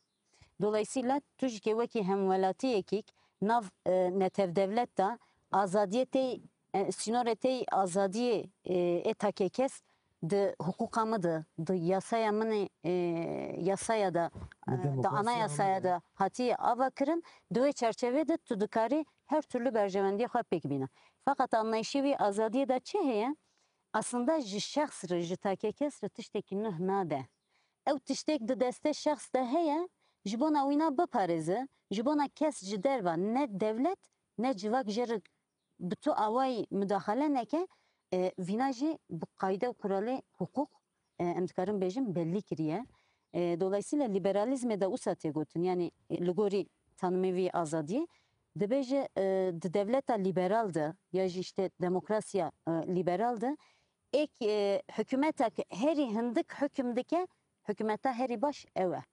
Dolayısıyla tu jî ke wekî hemwelatiyekî nav, e, netev dewlet de azadiyê tê, e, sînorê tê azadiyê, e, ê takekes di hiqûqa min de, di yasaya min ê, e, yasaya de, Di e, di demokrasiya anayasaya min de. de hatiye ava kirin, di wê çerçevê de tu dikarî her türlü berjewendiyê xwe pêk bîne. Feqet anlayışê wî azadiyê de çi heye? Aslında ji şexs re, ji takekes re tiştekî nuh nade. Ew tiştek di destê şexs de heye, ji bona wîna biparêze, ji bona kes ji derva ne dewlet, ne civak jê re bi tu awayî mudaxale neke, e, vîna jî bi qayde û kuralê hiqûq, e, em dikarin bêjin bellî kiriye. E, dolayısıyla liberalizmê de wisa tê gotin, yani, e, li gorî tanimê vî azadiyê, dibêje, e, di dewleta liberal de ya jî işte demokrasiya, e, liberal de êk, e, hikûmetek herî hindik hukm dike, hikûmeta herî baş ew e.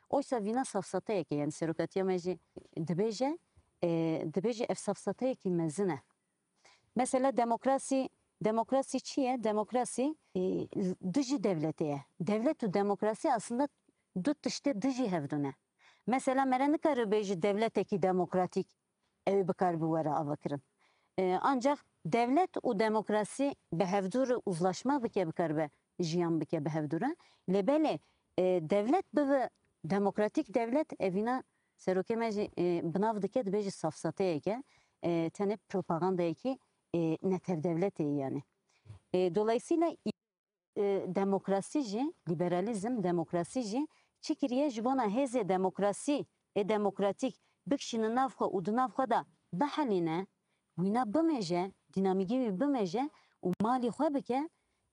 Oysa vîna safsateyek e, yani serokatiya me jî dibêje, e, dibêje ev safsateyekî mezin e. Mesela demokrasî, demokrasî çi ye? Demokrasî, e, dijî dewletê ye. Dewlet û demokrasî aslında du tiştê dijî hevdû ne. Mesela mere nikare bêjî dewletekî demokratîk ew ê bikaribe were avakirin. E, ancak dewlet û demokrasî bi hevdû re uzlaşma bike, bikaribe jiyan bike bi hevdû re. Lê belê, e, dewlet bibe demokratîk dewlet, evîna serokê me jî, e, bi nav dike, dibêje safsateyek e, e, tenê propagandayekî, e, netevdewletê ye yani. E, dolayısıyla e, demokrasî jî, liberalîzm, demokrasî jî çi kiriye? Ji bona hêzê demokrasî ê demokratîk bikişîne nav xwe û di nav xwe de bihelîne, wîna bimêje, dînamîkê wî bimêje û malî xwe bike,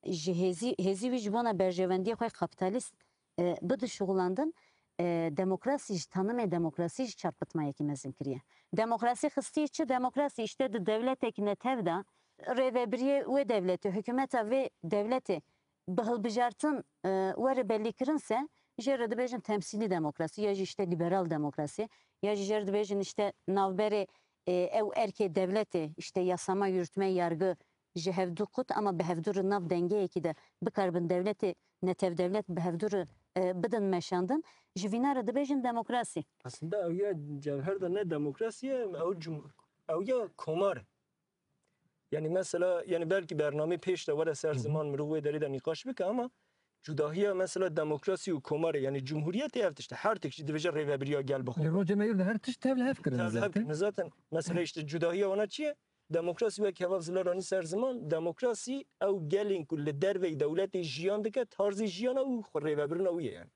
ji hêzî, hêzî wî ji bona berjewendiyê xwe kapîtalîst, e, bide şixulandin, e, demokrasî ji tanimê demokrasî jî çarpitmayekî mezin kiriye. Demokrasî xistiye çi? Demokrasî işte di dewletek netev de rêvebiriyê wê dewletê, hikûmeta vê dewletê bi hilbijartin, e, were bellîkirin se, jê re dibêjin temsîlî demokrasî, ya jî işte liberal demokrasî, ya jî jê re dibêjin işte navberê, e, ew erkê dewletê, işte yasama, yürütme, yargı ji hevdû qut, ama bi hevdû re nav dengeyekî de bikaribin dewletê, netevdewlet bi hevdû re, e, bidin meşandin, ji vîna re dibêjin demokrasî. Aslında ew ya cevher de ne demokrasî ye, ew cum-, ew ya komar. Yani mesela, yani belkî bernamê pêş de were ser Hı hı. ziman, mirov wê derê de nîqaş bike, ama cudahiya mesela demokrasî û komarê, yani cumhuriyetê ev tişt e. Her tişt jî dibêje rêvebiriya gel bixwe. Li rojê me yûr de her tişt tev li hev kirine Tev li hev zaten. kirine zaten. Mesela işte cudahiya wana çi ye? Demokrasî wek heval zilar anî ser ziman, demokrasî ew gelên ku li derveyî dewletê jiyan dike, tarzê jiyana û xwe rêvebirina wî ye yani.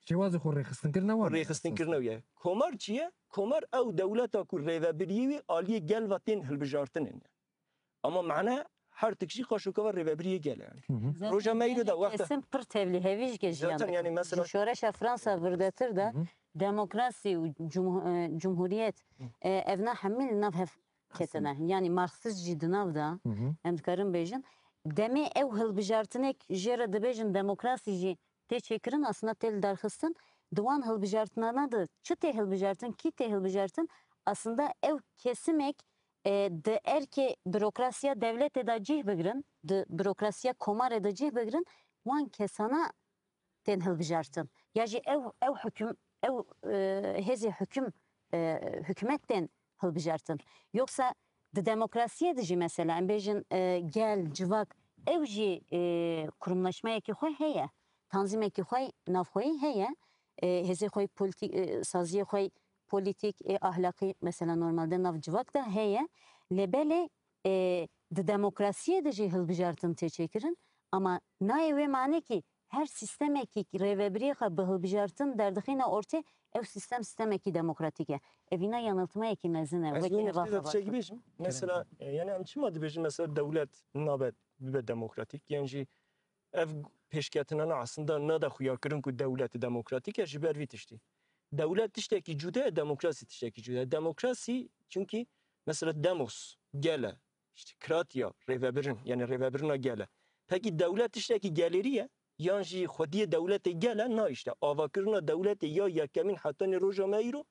Şêwazê xwe rêxistinkirina wan e. Rêxistinkirina wî ye. Komar çi ye? Komar ew dewleta ku rêvebiriyê wî aliyê gel ve tên hilbijartinê ye. Ama mane her tik jî xwe şoka ve rêvebiriyê gel e yani. Hı hı. Roja me îro de wexta kesin pir tevlî hevî ji jiyan. Zaten yani mesela ji şoreşa Fransa virdetir de demokrasî û cumhu-, e, cumhuriyet, e, evna hemî li nav hev ketine. Yani Marksist jî di nav de, hı hı, em dikarin bêjin. Demê ew hilbijartinek jê re dibêjin demokrasî jî tê çêkirin, aslında tê lidarxistin. Di wan hilbijartinana de çi tê hilbijartin, kî tê hilbijartin? Aslında ew kesimek, e, di erkê bürokrasiya dewletê de cih bigirin, di bürokrasiya komarê de cih bigirin, wan kesana tên hilbijartin. Ya jî ew, ew huküm, ew, e, hêzê huküm, e, hikûmet tên hilbijartin. Yoksa di demokrasiyê de jî mesela, em bêjin, e, gel, civak, ew jî, e, kurumlaşmeyekî xwe heye, tanzîmekî xwe navxweyî heye, e, hêzê xwe polîtî-, e, saziyê xwe polîtîk, e, ahlakî mesela normalde nav civak de heye. Lê belê, e, di demokrasiyê de jî hilbijartin tê çêkirin, ama nayê wê manê kî her sîstemekî rêvebiriyê xwe bi hilbijartin derdixîne ortê, ew sîstem sîstemekî demokratîk e. Evîna yaniltmeyekî mezin e. Ez wekî wê eva noktê de xebat tiştekî bêjim. Mesela, e, yani em çima dibêjin mesela dewlet nabe bibe demokratîk? Yan jî ev pêşketinana aslında nade xuyakirin ku dewlet demokratîk e ji ber vî tiştî. Dewlet tiştekî cuda ye, demokrasî tiştekî cuda ye. Demokrasî, çünkü mesela demos, gel e, işte kratiya, rêvebirin, yani rêvebirina gel e. Pekî dewlet tiştekî gelêrî ye, yan jî xwediyê dewletê gel e? Na işte. Avakirina dewletê ya yekemîn hetanî roja me îro,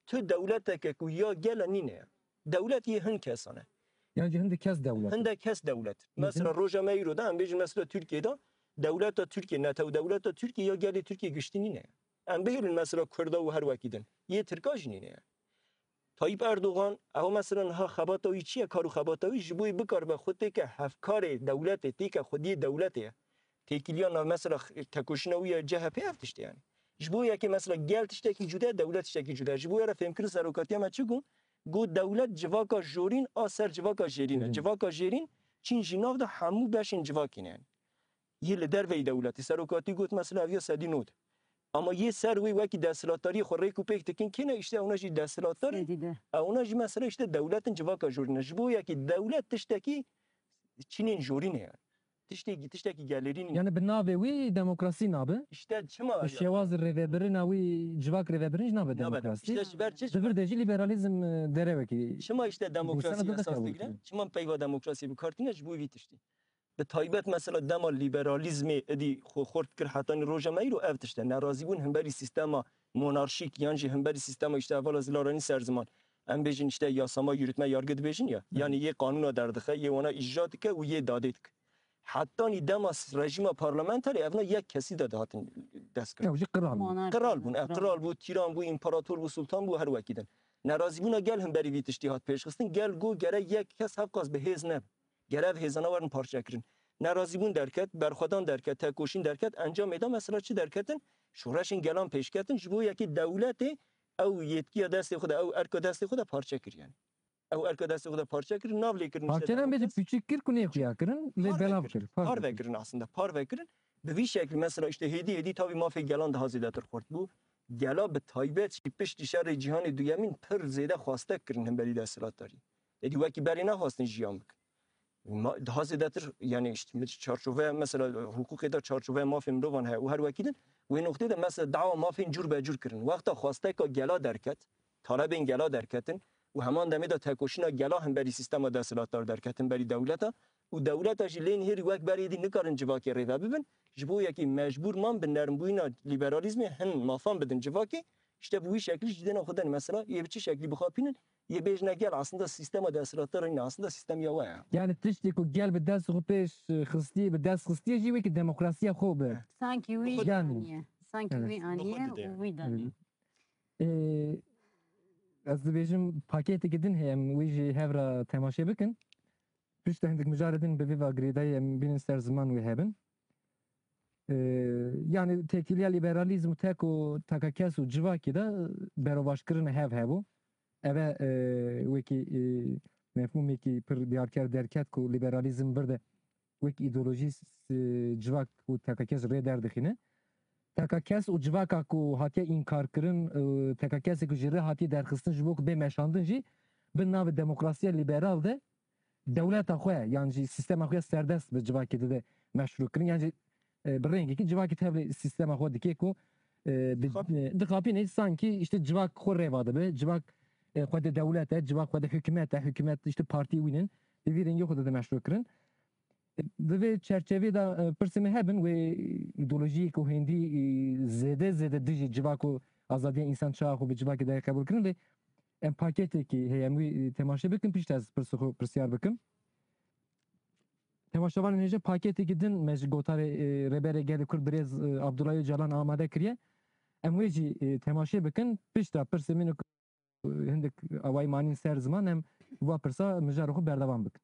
tu dewleteke ku ya gel e nîne ye. Dewlet yê hin kesan e. Yan jî hindek kes dewlet. Hindek kes dewlet. Mesela roja me îro de, em bêjin mesela Tirkiyê de, dewleta Tirkiye, netew dewleta Tirkiye ya gelê Tirkiye giştî nîne ye. Em bihêlin mesela Kurda û her wekî din. Yê Tirka jî nîne ye. Tayyip Erdogan, ew mesela niha xebata wî çi ye? Kar û xebata wî ji bo yê bikaribe xwe têke hevkarê dewletê, têke xwediyê dewletê ye. Têkiliya nav mesela tekoşîna wî ya C H P ev tiştê yani. Ji bo yekê mesela gel tiştekî cuda ye, dewlet tiştekî cuda ye. Ji bo wê re fêmkirin serokatiya me çi got? Got dewlet civaka jorîn a ser civaka jêrîn e. Hı hı. Civaka jêrîn çîn jî nav de hemû beşên civakê ne yani. Yê li derveyî dewletê. Serokatî got mesela ev ya sedî nod. Ama yê ser wê wekî desthilatdariyê xwe rêk û pêk dikin kê ne? Îşte ewna jî desthilatdar in. Sedî de. Ewna jî mesela îşte dewletin civaka jorîn e. Ji bo yekî dewlet tiştekî çînên jorîn e yani. Tiştekî, tiştekî gelêrîn e. Yani bi navê wî demokrasî nabe. Îşte çima? Bi şêwazê rêvebirina wî civak rêvebirin jî nabe demokrasî. Nabe. Îşte ji ber çi? Di vir de jî liberalîzm, e, derewekî. Çima îşte demokrasî esas digire? Çima peyva demokrasî bi kar tîne? Ji bo vî tiştî. Bi taybet mesela dema liberalîzmê êdî xwe xurt kir hetanî roja me îro ev tişt e. Nerazîbûn himberî sîstema monarşîk yan jî himberî sîstema îşte hevala zilaranî ser ziman. Em bêjin îşte yasama, yürütme, yargı dibêjin ya. Hı. Yanî yê qanûna derdixe, yê wana îcra dike û yê dadê dike. Hetanî dema s-, rejîma parlamenterê evna yek kesî de dihatin dest kir. Ew jî qral bû. Monarşî. Qral bûn, ev qral bû, tîran bû, împarator bû, sultan bû, her wekî din. Nerazîbûna gel himberî vî tiştî hat pêşxistin. Gel got gere yek kes hevqas bi hêz nebe. Gere ev hêzana werin parçekirin. Nerazîbûn derket, berxwedan derket, tekoşîn derket, encamê de mesela çi derketin? Şoreşên gelan pêşketin, ji bo yekê dewletê ew yetkiya destê xwe de, ew erka destê xwe de parçe kir yani. Ew erka destê xwe de parçe kir, nav lê kirin. Parçe ne bêjî, pûçik kir ku nêxuya kirin, lê belav kir. Parve kirin aslında, parve kirin. Bi vî şeklî mesela işte hêdî hêdî tavî mafê gelan daha zêdetir xurt bû. Gela bi taybet jî piştî şerê cîhanê duyemîn pir zêde xwastek kirin hemberî desthilatdarî. Êdî wekî berê nexwastin jiyan bikin. Ma-, daha zêdetir, yani işte çarçoveya mesela hukukê de çarçoveya mafê mirovan heye û her wekî din. Wê noqtê de mesela dawa mafên cûr be cûr kirin. Wexta xwasteka gela derket, talebên gela derketin û heman demê de tekoşîna gela hemberî sîstema desthilatdar derket, hemberî dewleta û dewleta jî lê nihêrî wek berê dî nikarin civakê rêve bibin. Ji bo yekî mecbûr man bi nermbûyîna liberalîzmê hin mafan bidin civakê. Îşte bi wî şeklî jî dêna xwe den mesela yê bi çi şeklî bixapînin, yê bêjine gel aslında sîstema desthilatdar nîne, aslında sîstem ya we ye. Yani tiştê ku gel bi dest xwe pêş xistiye, bi dest xistiye jî wekî demokrasiya xwe bi. Sankî wî aniye. Sankî wî aniye û wî danî. Ê, ez dibêjim pakêtekî din heye, em wî jî hev re temaşe bikin. Piştre hindik mijarê din bi vê ve girêdayî em bînin ser ziman wê hebin. Ê, yani têkiliya liberalîzm û tek û tekakes û civakî de berovaşkirina hev hebû. Eve, e, wekî, e, mefhûmekî pir diyarker derket ku liberalîzm vir de wek îdeolojî, e, civak û tekakes rê derdixîne. T K K S û civaka ku hatiye înkarkirin, e, T K K S ku ji rê hatiye derxistin ji bo ku bê meşandin jî, bi navê demokrasiya liberal de dewleta xwe, yan jî sîstema xwe ya serdest bi civakê dide meşrûkirin, yan jî, e, bi rengekî civakê tevlî sîstema xwe dike ku, e, bi, Xap- e, dixapîne sankî, işte, civak xwe rêva dibe, civak, e, xwe de dewlet e, civak xwe de hikûmet e, hikûmet, işte, partî wî nin, bi vî rengî xwe dide meşrûkirin. Di vê çerçevê de, e, pirsê me hebin, wê îdeolojiyê ku hêndî, e, zêde zêde dijî civak û azadiya însan çawa xwe bi civakê de qebûl kirin, lê em paketekî heye, em wî, e, temaşe bikin, pişt ez pirsê xwe pirsyar bikim. Temaşevanên hêja, paketekî din me ji gotarê, e, Rêberê Gelê Kurd birêz, e, Abdullah Öcalan amade kiriye. Em wê jî, e, temaşe bikin, pişta pirsê min û hindik awayî manîn ser ziman, em va pirsa mijarê xwe berdewam bikin.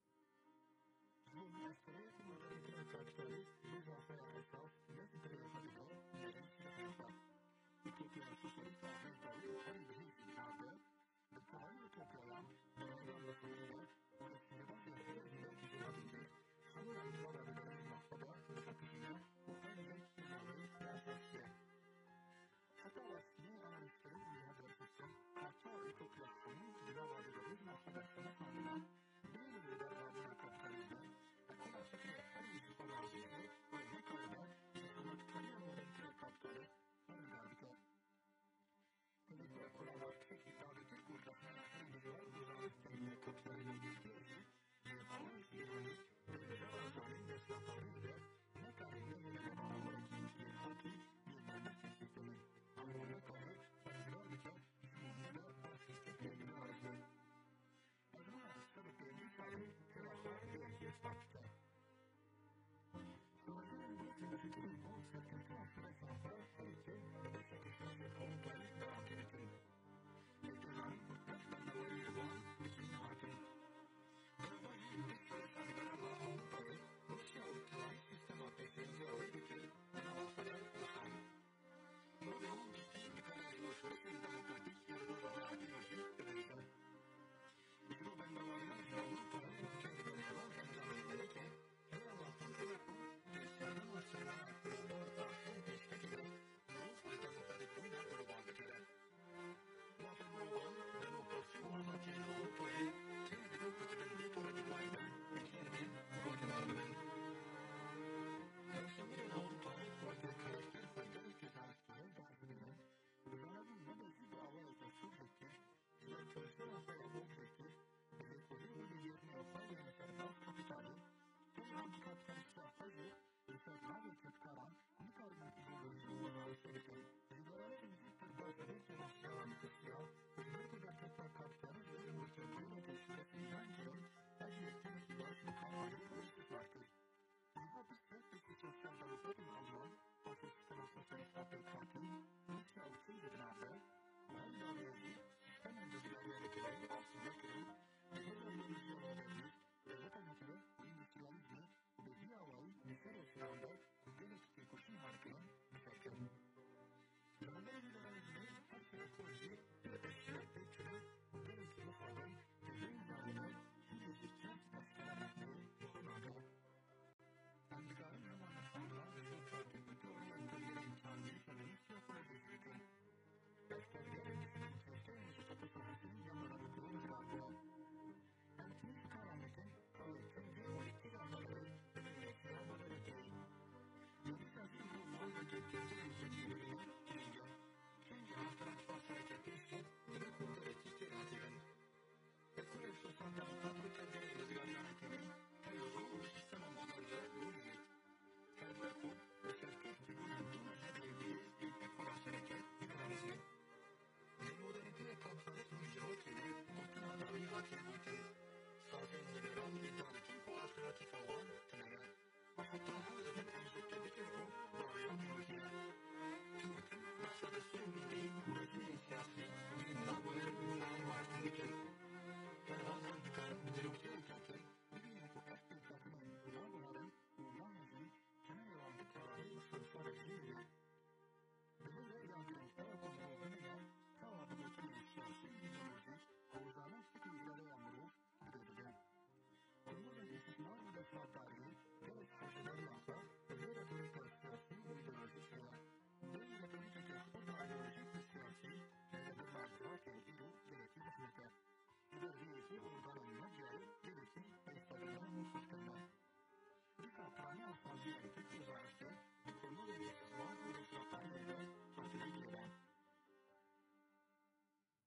Heta rastî analîzkirin û ya derxistin, parça utopya hemû di nava liberalîzma xwe de xeletandine, bêhîn li derbabûna kapîtalîzmê, ekola fikirê herî ji xwe razî ye û nikaribe ji xebatkariya modernîteya kapîtalîst berhudar bike. Li gora kolavayî tirkî, dawîtir û rexnena herî dijwar û rastî ya kapîtalîzma girtiyê jî,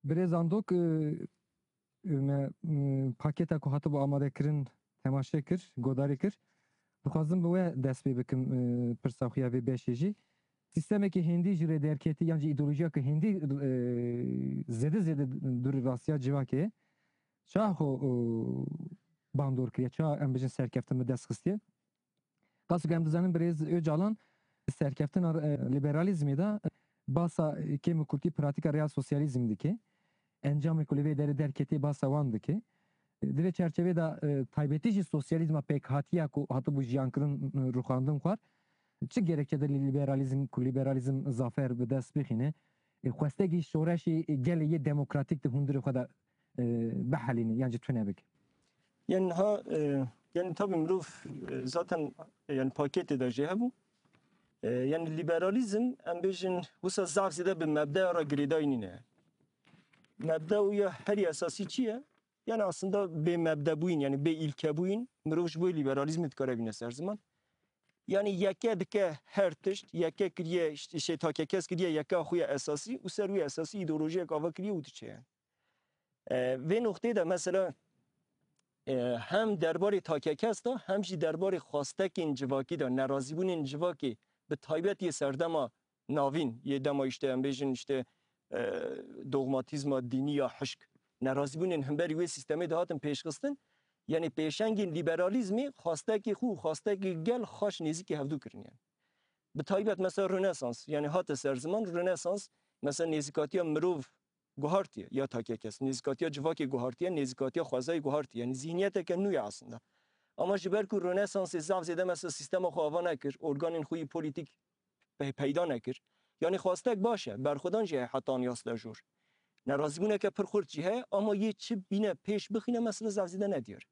Birêz Andok, e, me, e, paketa ku hatibû amadekirin temaşe kir, godarî kir. Dixwazim bi we dest pê bikim, e, pirsa xwe ya vê beşê jî. Sîstemekî hêndî ji rêderketî yan jî îdeolojiyeke hêndî, e, zêde zêde dûr rastiya civakê ye. Ça xwe, e, bandor kiriye, ça em bijin serkeftin bi dest xistiye? Qas ku em dizanin birêz Ocalan serkeftina, e, liberalîzmê de basa kêm û kurtî pratîka real sosyalîzm dike. Encamê ku li vê derê derketê basa wan dike. Di vê çerçevê de, e, taybetî jî sosyalîzma pêkhatiya ku hatibû jiyankirin, e, rûxandin xwar. Çi gerekçe de li liberalîzm, ku liberalîzm zafer bi dest bixîne, e, xwestekî şoreşê gelê yê demokratîk di hundirê xwe de, e, bihelîne yan jî tune bike? Yani ha, e, yani tabii mirov, e, zaten, e, yani paketê de jî hebû. E, yani liberalîzm, em bêjin, wisa zaf zêde bi mebdeya re girêdayî nîne. Mebda û ya herî esasî çi ye? Yani aslında bê mebdebûyîn, yani bê îlkebûyîn, mirov ji bo liberalîzmê dikare bîne ser ziman. Yani yeke dike her tişt, yeke kiriye, işte şey, takekes kiriye, yeke xwe ya esasî û ser wî esasî îdeolojiyek ava kiriye û diçe yani. E, vê noqteyê de mesela, e, hem derbarê takekes de hem jî derbarê xwestekên civakî de, nerazîbûnên civakê bi taybet yê serdema navîn, yê dema işte em bêjin işte, e, dogmatîzma dînî ya hişk, nerazîbûnên hemberî wê sîstemê de hatin pêşxistin, yani pêşengên liberalîzmê xwestekê xwe û xwestekê gel xaş nêzîkî hevdû kirin yani. Bi taybet mesela Rönesans, yani hate ser ziman Rönesans, mesela nêzîkatiya mirov guhartiye ya takekes, nêzîkatiya civakê guhartiye, nêzîkatiya xwezayê guhartiye. Yani zihniyeteke nû ye aslında. Ama ji ber ku Rönesansê zaf zêde mesela sîstema xwe ava nekir, organên xwe yî polîtîk pe-, peyda nekir. Yani xwestek baş e, berxwedan jî heye heta niha jor. Nerazîbûneke pir xurt jî heye, ama yê çi bîne pêş bixîne mesela zaf zêde nediyar.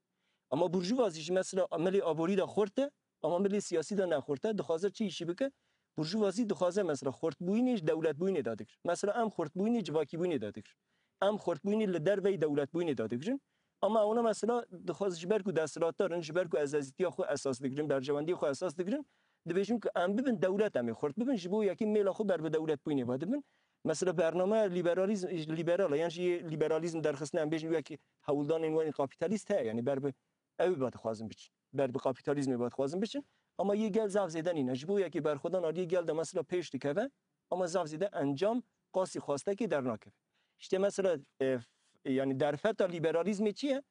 Ama burjuvazî jî mesela milê aborî de xurt e, ama milê siyasî de ne xurt e, dixwaze çi îşî bike? Burjuvazî dixwaze mesela xurtbûyînê ji dewletbûyînê dadigir. Mesela em xurtbûyînê civakîbûyînê dadigir. Em xurtbûyînê li derveyî dewletbûyînê dadigrin. Ama ewna mesela dixwaz ji ber ku desthilatdar in, ji ber ku ezazîtiya xwe esas digirin, berjewendiyê xwe esas digirin, dibêjin ku em bibin dewlet, em ê xurt bibin, ji bo yekî mêla xwe ber bi dewletbûyînê ve dibin. Mesela bernameya liberalîzm, liberal e, yan jî yê liberalîzm derxistine, em bêjin wekî hewldanên wan ê kapîtalîst heye, yanî ber bi ew ê ve dixwazin biçin. Ber bi kapîtalîzmê ve dixwazin biçin. Ama yê gel zaf zêde nîne. Ji bo yekî berxwedan aliyê gel de mesela pêş dikeve, ama zaf zêde encam qasî xwestekê dernakeve. İşte mesela, e, f-, yani derfeta liberalîzmê çi ye?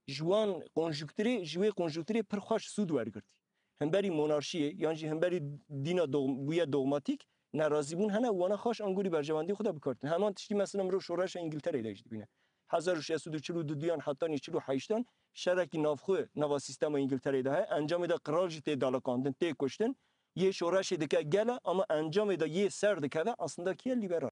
Ji wan konjukturê, ji wê konjukturê pir xweş sûd wergirtî. Hemberî monarşiyê, yan jî hemberî dîna dog-, bûye dogmatîk, nerazîbûn hene, wana xweş angorî berjewendî xwe de bikartin. Heman tiştî mesela mirov şoreşa Îngiltereyê de jî dibîne. Hezar û şeş sed û çil û duyan hetanî çil û heştan şerekî navxwe nava sîstema Îngiltereyê de heye. Encamê de qral jî tê daliqandin, tê kuştin. Yê şoreşê dike gel e, ama encamê de yê ser dikeve aslında kî ye? Liberal.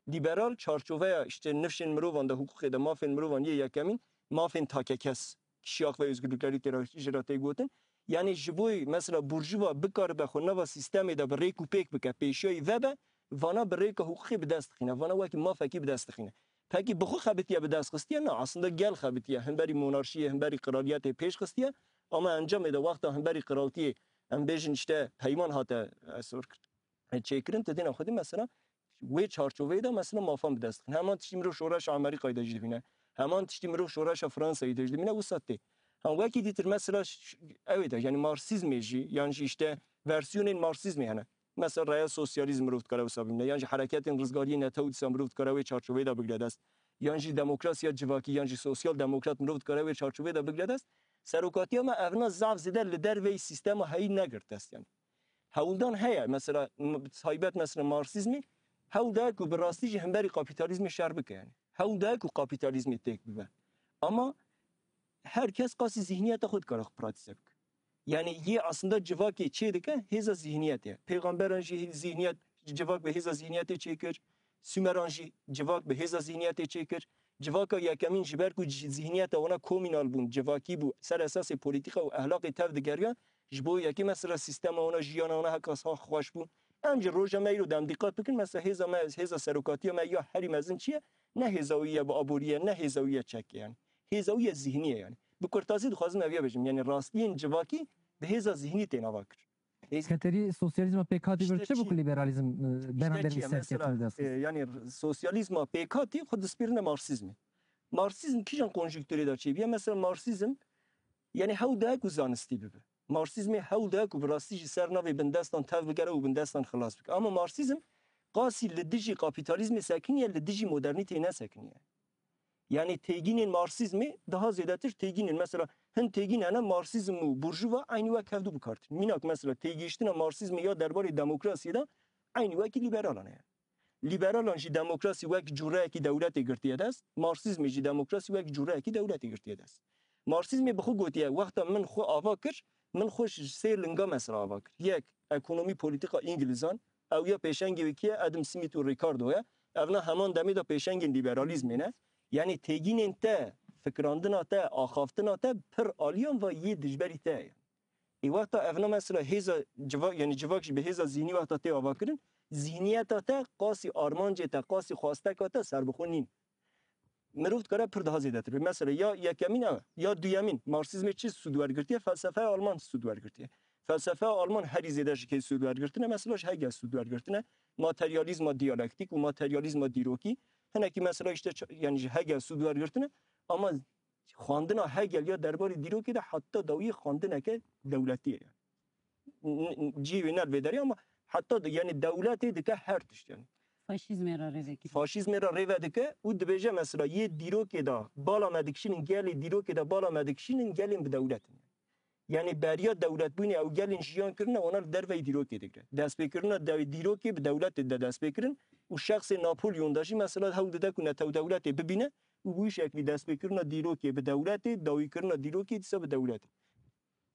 Liberal çarçoveya işte nifşên mirovan de, hiqûqê de, mafên mirovan yê yekemîn, mafên takekes, kişiyak ve özgürlükleri tê re, jê re tê gotin. Yani ji bo mesela burjuva bikaribe xwe nava sîstemê de bi rêk û pêk bike, pêşiyayî vebe, vana bi rêka hiqûqê bi dest dixîne, vana wekî mafekî bi dest dixîne. Pekî bi xwe xebitiye bi dest xistiye? Na, aslında gel xebitiye, hemberî monarşiyê, hemberî qiraliyetê pêş xistiye. Ama encamê de wexta hemberî qiraltiyê, em bêjin işte peyman hate, e, sor kir-, e, çêkirin, tu dîna xwe dî mesela wê çarçoveyê de mesela mafan bi dest dixin. Heman tiştî mirov şoreşa Amerîkayê de jî dibîne. Heman tiştî mirov şoreşa Fransayê de jî dibîne, wisa tê. Ha, wekî dîtir mesela ş-, ş-, ew ê de, yani Marksizmê jî, yan jî işte versiyonên Marksizmê hene. Mesela real sosyalîzm mirov dikare wisa bibîne, yan jî hereketên rizgariyê netew dîsa mirov dikare wê çarçoveyê de bigire dest. Yan jî demokrasiya civakî, yan jî sosyal demokrat mirov dikare wê çarçoveyê de bigire dest. Serokatiya me evna zaf zêde li derveyî sîstema heyî negirt dest yani. Hewldan heye, mesela, m-, taybet mesela Marksizmê, hewl daye ku bi rastî jî hemberî kapîtalîzmê şer bike yani. Hewl daye ku kapîtalîzmê têk bibe. Ama her kes qasî zihniyeta xwe dikare xwe pratîze bike. Yani yê aslında civakê çê dike hêza zihniyetê. Pêxemberan jî zihniyet, civak bi hêza zihniyetê çêkir. Sumeran jî civak bi hêza zihniyetê çêkir. Civaka yekemîn ji ber ku ci-, zihniyeta wana komînal bûn, civakî bû, ser esasê polîtîka û ehlaqê tev digeriyan, ji bo yekê mesela sîstema wana, jiyana wana heka xweş bû. Em jî roja me îro de em dîqat bikin, mesela hêza me, hêza serokatiya me ya herî mezin çi ye? Ne hêza wî ye bi aborî ye, ne hêza wî ye çekê yani. Hêza wî ye zihnî ye yani. Bi kurtazî dixwazim ev ya bêjim. Yani rastiyên civakî bi hêza zihnî tên ava kir. Hêz- Xeterî sosyalîzma pêkhatî vir İşte çi bû çi? ku lîberalîzm e, İşte beramberî çi ya, mesela, serkeftin dest? E, yani r- sosyalîzma pêkhatî xwe dispirine marksîzmê. Marksîzm kîjan konjukturê de çêbiye? Mesela marksîzm, yani hewl daye ku zanistî bibe. Marksîzmê hewl daye ku bi rastî jî ser navê bindestan tev bigere û bindestan xilas bike. Ama marksîzm qasî li dijî kapîtalîzmê sekiniye, li dijî modernîteyê nesekiniye. Yani têgînên marksîzmê daha zêdetir têgînên, mesela hin têgîn hene, marksîzm û burjuva eynî wek hevdu bikar tînin. Mînak mesela têgihiştina marksîzmê ya derbarê demokrasiyê de eynî wekî lîberalan heye. Lîberalan jî demokrasî wek cûreyekî dewletê girtiye dest, marksîzmê jî demokrasî wek cûreyekî dewletê girtiye dest. Marksîzmê bi xwe gotiye, wexta min xwe ava kir, min xwe ji sê linga mesela ava kir. Yek, ekonomî polîtîka Îngilîzan, ew ya pêşengê wê kî ye? Adam Smith û Ricardo ye. Evna heman demê de pêşengên lîberalîzmê ne. Yanî têgînên te, fikirandina te, axaftina te pir aliyan ve yê dijberî te ye. Ê wexta evna mesela hêza civak, yanî civak jî bi hêza zihnî wexta tê avakirin, zihniyeta te qasî armancê te, qasî xwasteka te serbixwe nîn. Mirov dikare pir daha zêdetir be. Mesela ya yekemîn ew e, ya duyemîn. Marksîzmê çi sûd wergirtiye? Felsefeya Alman sûd wergirtiye. Felsefeya Alman herî zêde ji kê sûd wergirtine? Mesela ji Hegel sûd wergirtine. Materyalîzma diyalektîk û materyalîzma dîrokî. Hinekî mesela işte ç- yani ji Hegel sûd wergirtine. Ama xwendina Hegel ya derbarê dîrokê de heta dawiyê xwendineke dewletî ye. N- n- Cihê wê ne li vê derê ama heta de, yani dewletê dike her tişt yani. Faşîzmê re rê vekirî. Faşîzmê re rê vedike û dibêje mesela yê dîrokê de bala me dikişînin, gelê dîrokê de bala me dikişînin, gelên bi dewlet in. Yani beriya dewletbûnê ew gelên jiyan kirine, wana li derveyî dîrokê digire. Destpêkirina dew- dîrokê bi dewletê de dest pê kirin û şexsê Napolyon de jî mesela hewl dide ku netew dewletê bibîne û bi wî şeklî destpêkirina dîrokê bi dewletê, dawîkirina dîrokê dîsa bi dewletê.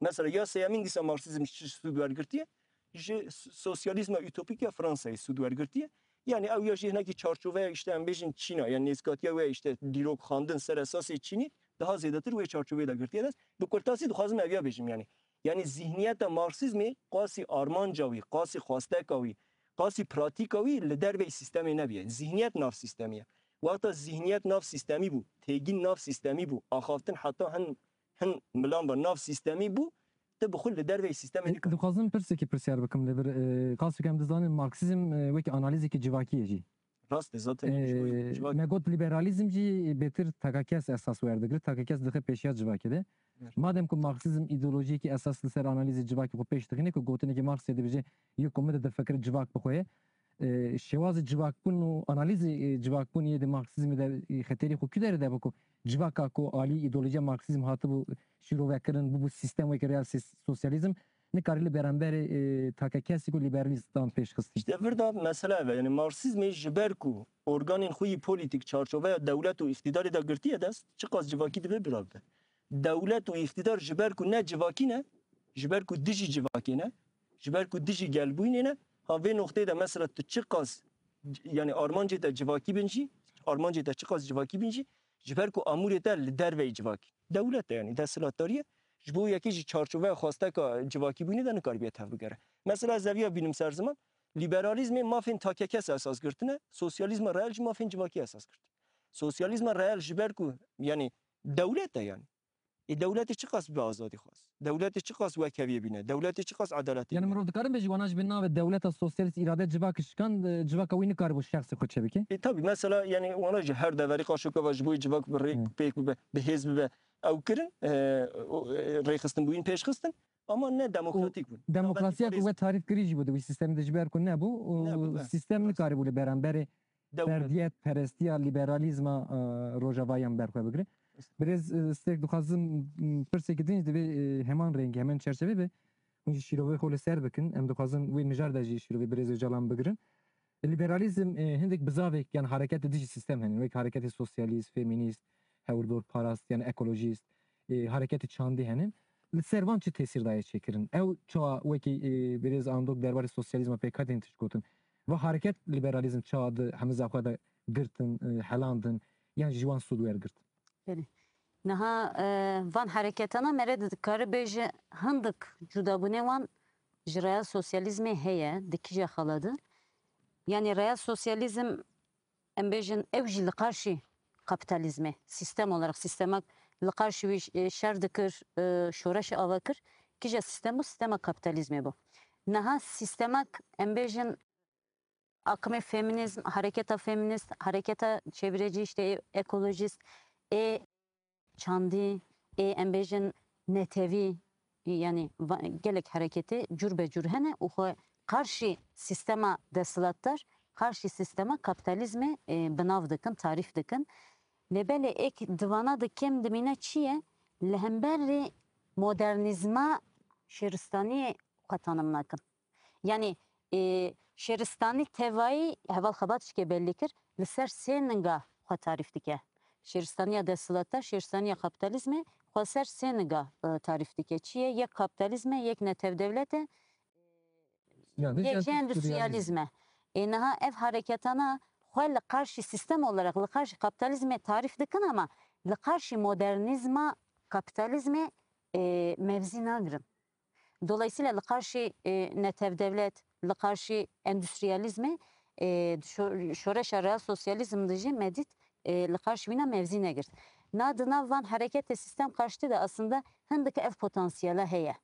Mesela ya sêyemîn dîsa Marksîzm ji çi sûd wergirtiye? Ji s- sosyalîzma utopîk ya Fransayê sûd wergirtiye. Yani ew ya jî hinekî çarçoveya işte em bêjin Çîna, yani nêzîkatiya wê işte dîrok, xwendin ser esasê Çînî daha zêdetir wê çarçoveyê de girtiye dest. Bi kurtasî dixwazim ev ya bêjim yani. Yani zihniyeta Marksîzmê qasî armanca wî, qasî xwasteka wî, qasî pratîka wî li derveyî sîstemê nebiye. Zihniyet nav sîstemî ye. Wexta zihniyet nav sîstemî bû, têgîn nav sîstemî bû, axaftin heta hin hin milan ve nav sîstemî bû, tu bi xwe li derveyî sîstemê nikare. Dixwazim pirsekî pirsyar bikim li vir. E, qasî ku em dizanin Marksîzm e, wekî analîzekî civakî ye jî. Rast e zaten. E, Civak- me got lîberalîzm jî bêtir takakes esas werdigire, takakes dixe pêşiya civakê de. Evet. Madem ku Marksîzm îdeolojiyekî esas li ser analîzê civakê xwe pêş dixîne, ku gotinekî Marksê dibêje yê ku min de difikire civak bi xwe ye. E, şêwazê civakbûn û analîzê e, civakbûnê yê di Marksîzmê de e, xeterî xwe kî derê de bû ku civaka ku alî îdeolojiya Marksîzm hatibû şîrovekirin, bûbû sîstem wekî real sîs- sosyalîzm, nikarî li beramberê e, takekesî ku lîberalîstan pêş xistî. İşte vir da mesele ev e. Yani Marksîzmê ji ber ku organên xwe yî polîtîk çarçoveya dewlet û îqtîdarê de girtiye dest, çiqas civakî divê bira bibe. Dewlet û îqtîdar ji ber ku ne civakî ne, ji ber ku dijî civakê ne, ji ber ku dijî gelbûyînê ne, ha vê noqteyê de mesela tu çiqas, yani armancê te civakî bin jî, armancê te çiqas civakî bin jî, ji ber ku amûrê te li derveyî civakî. Dewlet e yani, desthilatdarî ye. Ji bo yekê jî çarçoveya xwasteka civakîbûnê de nikaribiye tevbigere. Mesela ez eviya bînim ser ziman, lîberalîzmê mafên takekes esas girtine, sosyalîzma reel jî mafên civakî esas girtine. Sosyalîzma reel ji ber ku, yani dewlet e yani. Ê dewletê çiqas bi azadî xwest? Dewletê çiqas wekheviyê bîne? Dewletê çiqas edaletê Yani bîne? mirov dikarin bêjî wana ji bin navê dewleta sosyalîst îrade civak şikand, e, civaka wî nikaribû şexsê xwe çêbike? E, tabii mesela yani wana ji her deverî qaşokeva ji bo civak bi rê Hı. pêk bibe, bi hêz bibe ew kirin, e, o, e, rêxistin bûyîn pêşxistin ama ne demokratîk bûn. Demokrasiya ku Kapîtalîzm. We tarîf kirî jî bû di wî sîstemê de ji ber ku nebû û Nebû, be. sîstem nikaribû li beramberê Dewlet. ferdiyet perestiya lîberalîzma e, rojavayî em ber xwe bigire. Birêz e, Stêrk dixwazim m, pirsekî din jî divê e, heman rengî, heman çerçevê be. Hûn jî şîrovê xwe li ser bikin. Em dixwazin wê mijar de jî şîrovê birêz Ocalan bigirin. Lîberalîzm e, hindik bizavek yan hareketê dijî sîstem hene. Wek hareketê sosyalîst, femînîst, hewirdorparast yan ekolojîst, e, hareketê çandî hene. Li ser van çi tesîr daye çêkirin? Ew çawa wekî e, birêz Andok derbarê sosyalîzma pêkhatîn tişt gotin. Va hareket lîberalîzm çawa di hemiza xwe de girtin, e, helandin, yan ji wan sûd wergirt? Belê. Niha e, van hereketana mere de dikare bêje hindik cudabûnê wan ji real sosyalîzmê heye, di kîja xala de. Yani real sosyalîzm em bêjin ew jî li qarşî kapîtalîzmê, sîstem olarak sîstemek li qarşî wî e, şer dikir, e, şoreşê ava kir. kîja sîstem bû, sîstema kapîtalîzmê bû. Niha sîstema, em bêjin, akimê feminîzm, hareketa feminîst, hareketa çevrecî, işte ekolojîst, ê çandî, ê em bêjin netewî, yanî va- gelek hareketê cur be cur hene û xwe qarşî sîstema desthilatdar, qarşî sîstema kapîtalîzmê e, bi nav dikin, tarîf dikin. Lê belê êk di vana de kêm dimîne çi ye? Li hemberî modernîzma şêristaniyê xwe tanim nakin. Yanî e, şêristanî tevayî heval Xebat jî kê bellî kir, li ser sê ninga xwe tarîf dike. Şêristaniya desthilatdar, şêristaniya kapîtalîzmê xwe ser sê ninga e, tarîf dike. Çi ye? Yek kapîtalîzm e, yek netewdewlet e, Yanî yek jî endüstriyalîzm. endüstriyalîzm e. Ê niha ev hareketana xwe li qarşî sîstem olarak, li qarşî kapîtalîzmê tarîf dikin ama li qarşî modernîzma kapîtalîzmê e, mevzî nagirin. Dolayısıyla li qarşî e, netewdewlet, li qarşî endüstriyalîzmê e, şo- şoreşa real sosyalîzm de jî me dît e, li qarşî wîna mevzî negirt. Na di nav van hareketê sîstem karşıtî de aslında hindik ev potansiyela heye.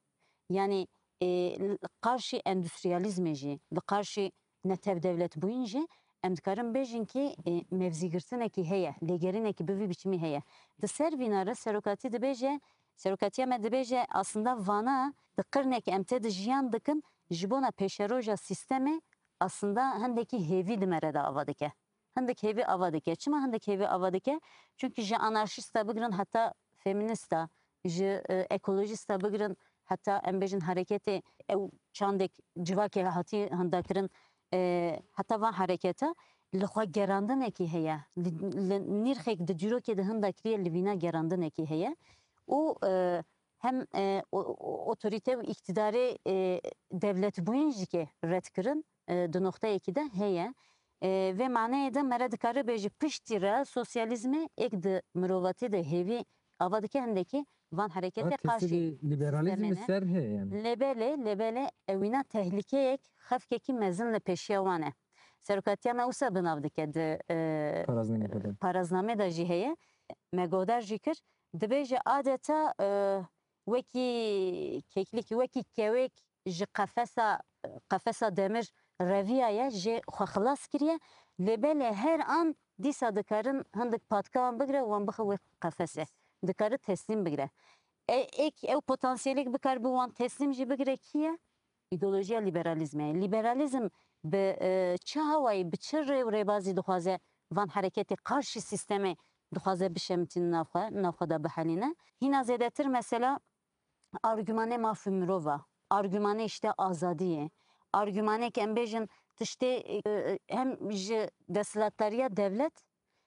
Yanî e, li qarşî endüstriyalîzmê jî, li qarşî netewdewletbûyîn jî em dikarin bêjin kî e, mevzîgirtinekî heye, lêgerînekî bi vî biçimî heye. Di ser vîna re serokatî dibêje, serokatiya me dibêje aslında vana di qirnek em tê de jiyan dikin ji bona pêşeroja sîstemê aslında hindekî hêvî di me re de ava dike. Hindik hêvî ava dike. Çima hindik hêvî ava dike? Çünkü ji anarşîsta bigirin heta feminîsta, ji e, ekolojîsta bigirin heta em bêjin hareketê ew çandek civakê hatî hinda kirin, e, heta van hareketa li xwe gerandinekî heye, li, li nîrxek di dîrokê de hinda kiriye li vîna gerandinekî heye û e, hem e, o- o- otorîte û îktîdarê e, dewletbûyîn jî kê red kirin e, di noxteyekî de heye. E, vê maneyê de mere dikare bêje piştî re sosyalîzmê êk di mirovatî de hêvî ava dike hindekî van hareketê Ha, qarşî tesîrê liberalîzmê sîstemê ne. Ser heye yanî. Lê belê, lê belê ewîna tehlîkeyek xefkekî mezin li pêşiya wan e. Serokatiya me wisa bi nav dike di e, Paraznamê xwe de. paraznamê de jî heye. Me godar jî kir. Dibêje adeta e, wekî keklikî, wekî kewêk ji qefesa qefesa demir reviyaye, jê xwe xilas kiriye. Lê belê her an dîsa dikarin hindik patka wan bigire, wan bixe wê qefesê. Dikare teslîm bigire. E, êk ew potansiyelek bikar bi wan teslîm jî bigire kî ye? Îdeolojiya liberalîzmê ye. Liberalîzm bi e, çi hawayî, bi çi rê û rêbazî dixwaze van hereketê qarşî sîstemê dixwaze bişemtîne navxwe, navxwe de bihelîne? Hîna zêdetir mesela argümanê mafê mirova, argümanê işte azadiyê, argümanê ki em bêjin tiştê e, hem ji desthilatdariya devlet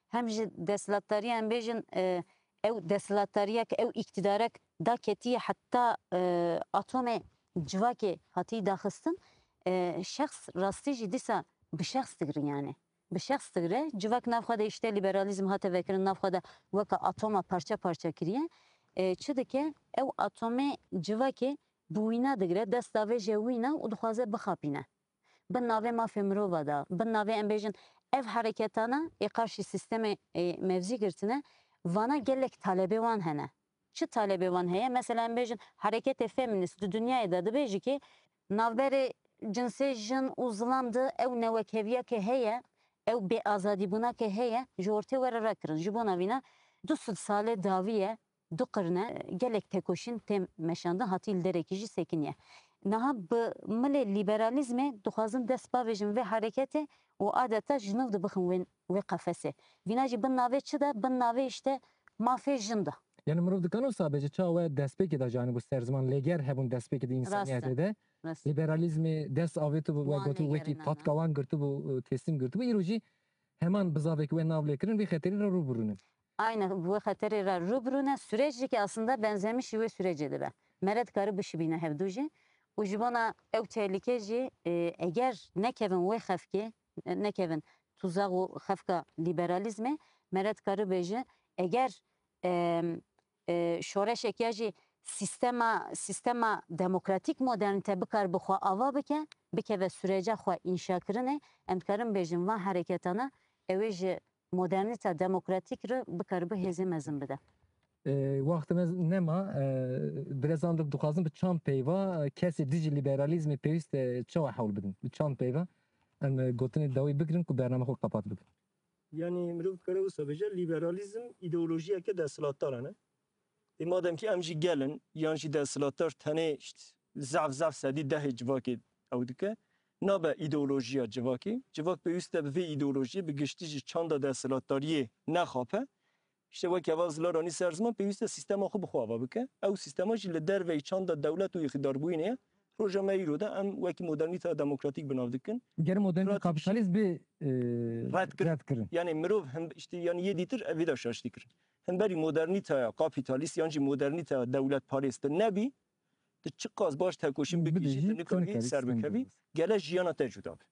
hem jî desthilatdariya em bêjin e, ew desthilatdariyek, ew îktîdarek daketiye heta e, atomê civakê hatî daxistin, e, şexs rastî jî dîsa bi şexs digrin yani. Bi şexs digre, civak nav xwe de işte liberalîzm hate vekirin, nav xwe de weke atoma parça parça kiriye. E, çi dike? Ew atomê civakê bi wîna digre, dest davêje wîna û dixwaze bixapîne. Bin navê mafê mirova de, bin navê em bêjin ev hereketana ê qarşî sîstemê ê mevzî girtine, vana gelek talebê wan hene. Çi talebê wan heye? Mesela em bêjin hereketê feminîst di dinyayê de dibêjî ki navberê cinsê jin û zilam de ew newekheviya ke heye, ew bêazadîbûna ke heye, ji ortê were rakirin. Ji bona vîna du sed salê dawî ye, du qirne gelek tekoşîn têm meşandin, hatî li derekî jî sekiniye. Niha bi milê lîberalîzmê dixwazin dest bavêjin vê hereketê û adeta ji nû dibixin wê, wê qefesê. Vîna jî bin navê çi de? Bin navê işte mafê jin de. Yani mirov dikano sabe ji çawa destpêkê de ji anî bû ser ziman lêger hebûn destpêkê de Rast e. Însaniyetê de. Rast e. Liberalîzmê dest avêtibû we Wan gotibû wekî lêgerînana. Patka wan girtibû, teslim girtibû. Îro jî heman bizavek we nav lê kirin vê xeterî re rû birû ne. Aynen, bu xeterê re rûbirû ne. Süreç jî ki aslında benzemişî wê sürecê dibe. Mere dikare bişibîne hevdu jî. Û ji bona ew tehlike jî e, eger nekevin wê xefkê, e, nekevin tuzak û xefka lîberalîzmê, mere dikare bêje eger e, e, şoreşek ya jî sîstema, sîstema demokratîk modernîte bikar bi xwe ava bike, bikeve süreca xwe înşakirinê, em dikarin bêjin van hereketana ew ê ji modernîta demokratîk re bikaribe hêzê mezin bide. E, wextê me nema, e, birêzan dixwazin bi çand peyva, e, kesê dijî lîberalîzmê pêwîst e çawa hewl bidin? Bi çand peyva em, e, gotinê dawî bigirin ku bername xwe qepat bikin. Yanî mirov dikare wisa bêje, lîberalîzm îdeolojiyeke desthilatdar e, ne? Ê madem ki em jî gel in, yan jî desthilatdar tenê işte zaf zaf sedî dehê civakê ew dike, nabe îdeolojiya civakê. Civak pêwîst e bi vê îdeolojiyê bi giştî jî çanda desthilatdariyê nexape. İşte wek heval zilaranî ser ziman pêwîst e sîstema xwe bi xwe ava bike. Ew sîstema jî li derveyî çanda dewlet û îqtîdarbûyînê ye. Roja me îro de em wekî modernîteya demokratîk bi nav dikin. Ger modernîte Pratik- kapîtalîst bê e, Red kirin. red kirin. Yani mirov hem işte yani yê dîtir evê de şaştî kirin. Hemberî modernîteya kapîtalîst yan jî modernîteya dewletparêz tu nebî, tu çiqas baş tekoşîn bikî Bidî jî jî, tu nikarî nikarî ser sistem bikevî, bidî. Gele jiyana te cuda bî.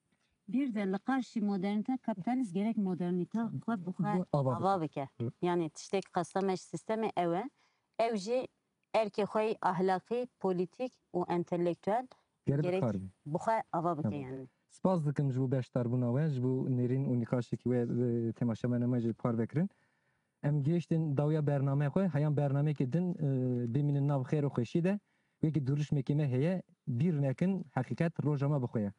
Bir de li qarşî modernîte kapîtalîst gerek modernîte xwe bi xwe Bu ava ava bike. Yanî tiştek qasta me ji sîstemê ew e. Ew jî erkê xwe yî ahlaqî, polîtîk û entelektuel Gerek gerek bikar bî. bi xwe ava bike Tamam. yanî. Spas dikim ji bo beşdarbûna we, ji bo nêrîn û nîqaşekî we e, temaşevanê me jî parve kirin. Em gihiştin dawiya bername xwe, heyan bernameyekê din e, bimînin nav xêr û xweşî de. Wekî duruşmekê me heye, bîr nekin, heqîqet roja me bi xwe ye.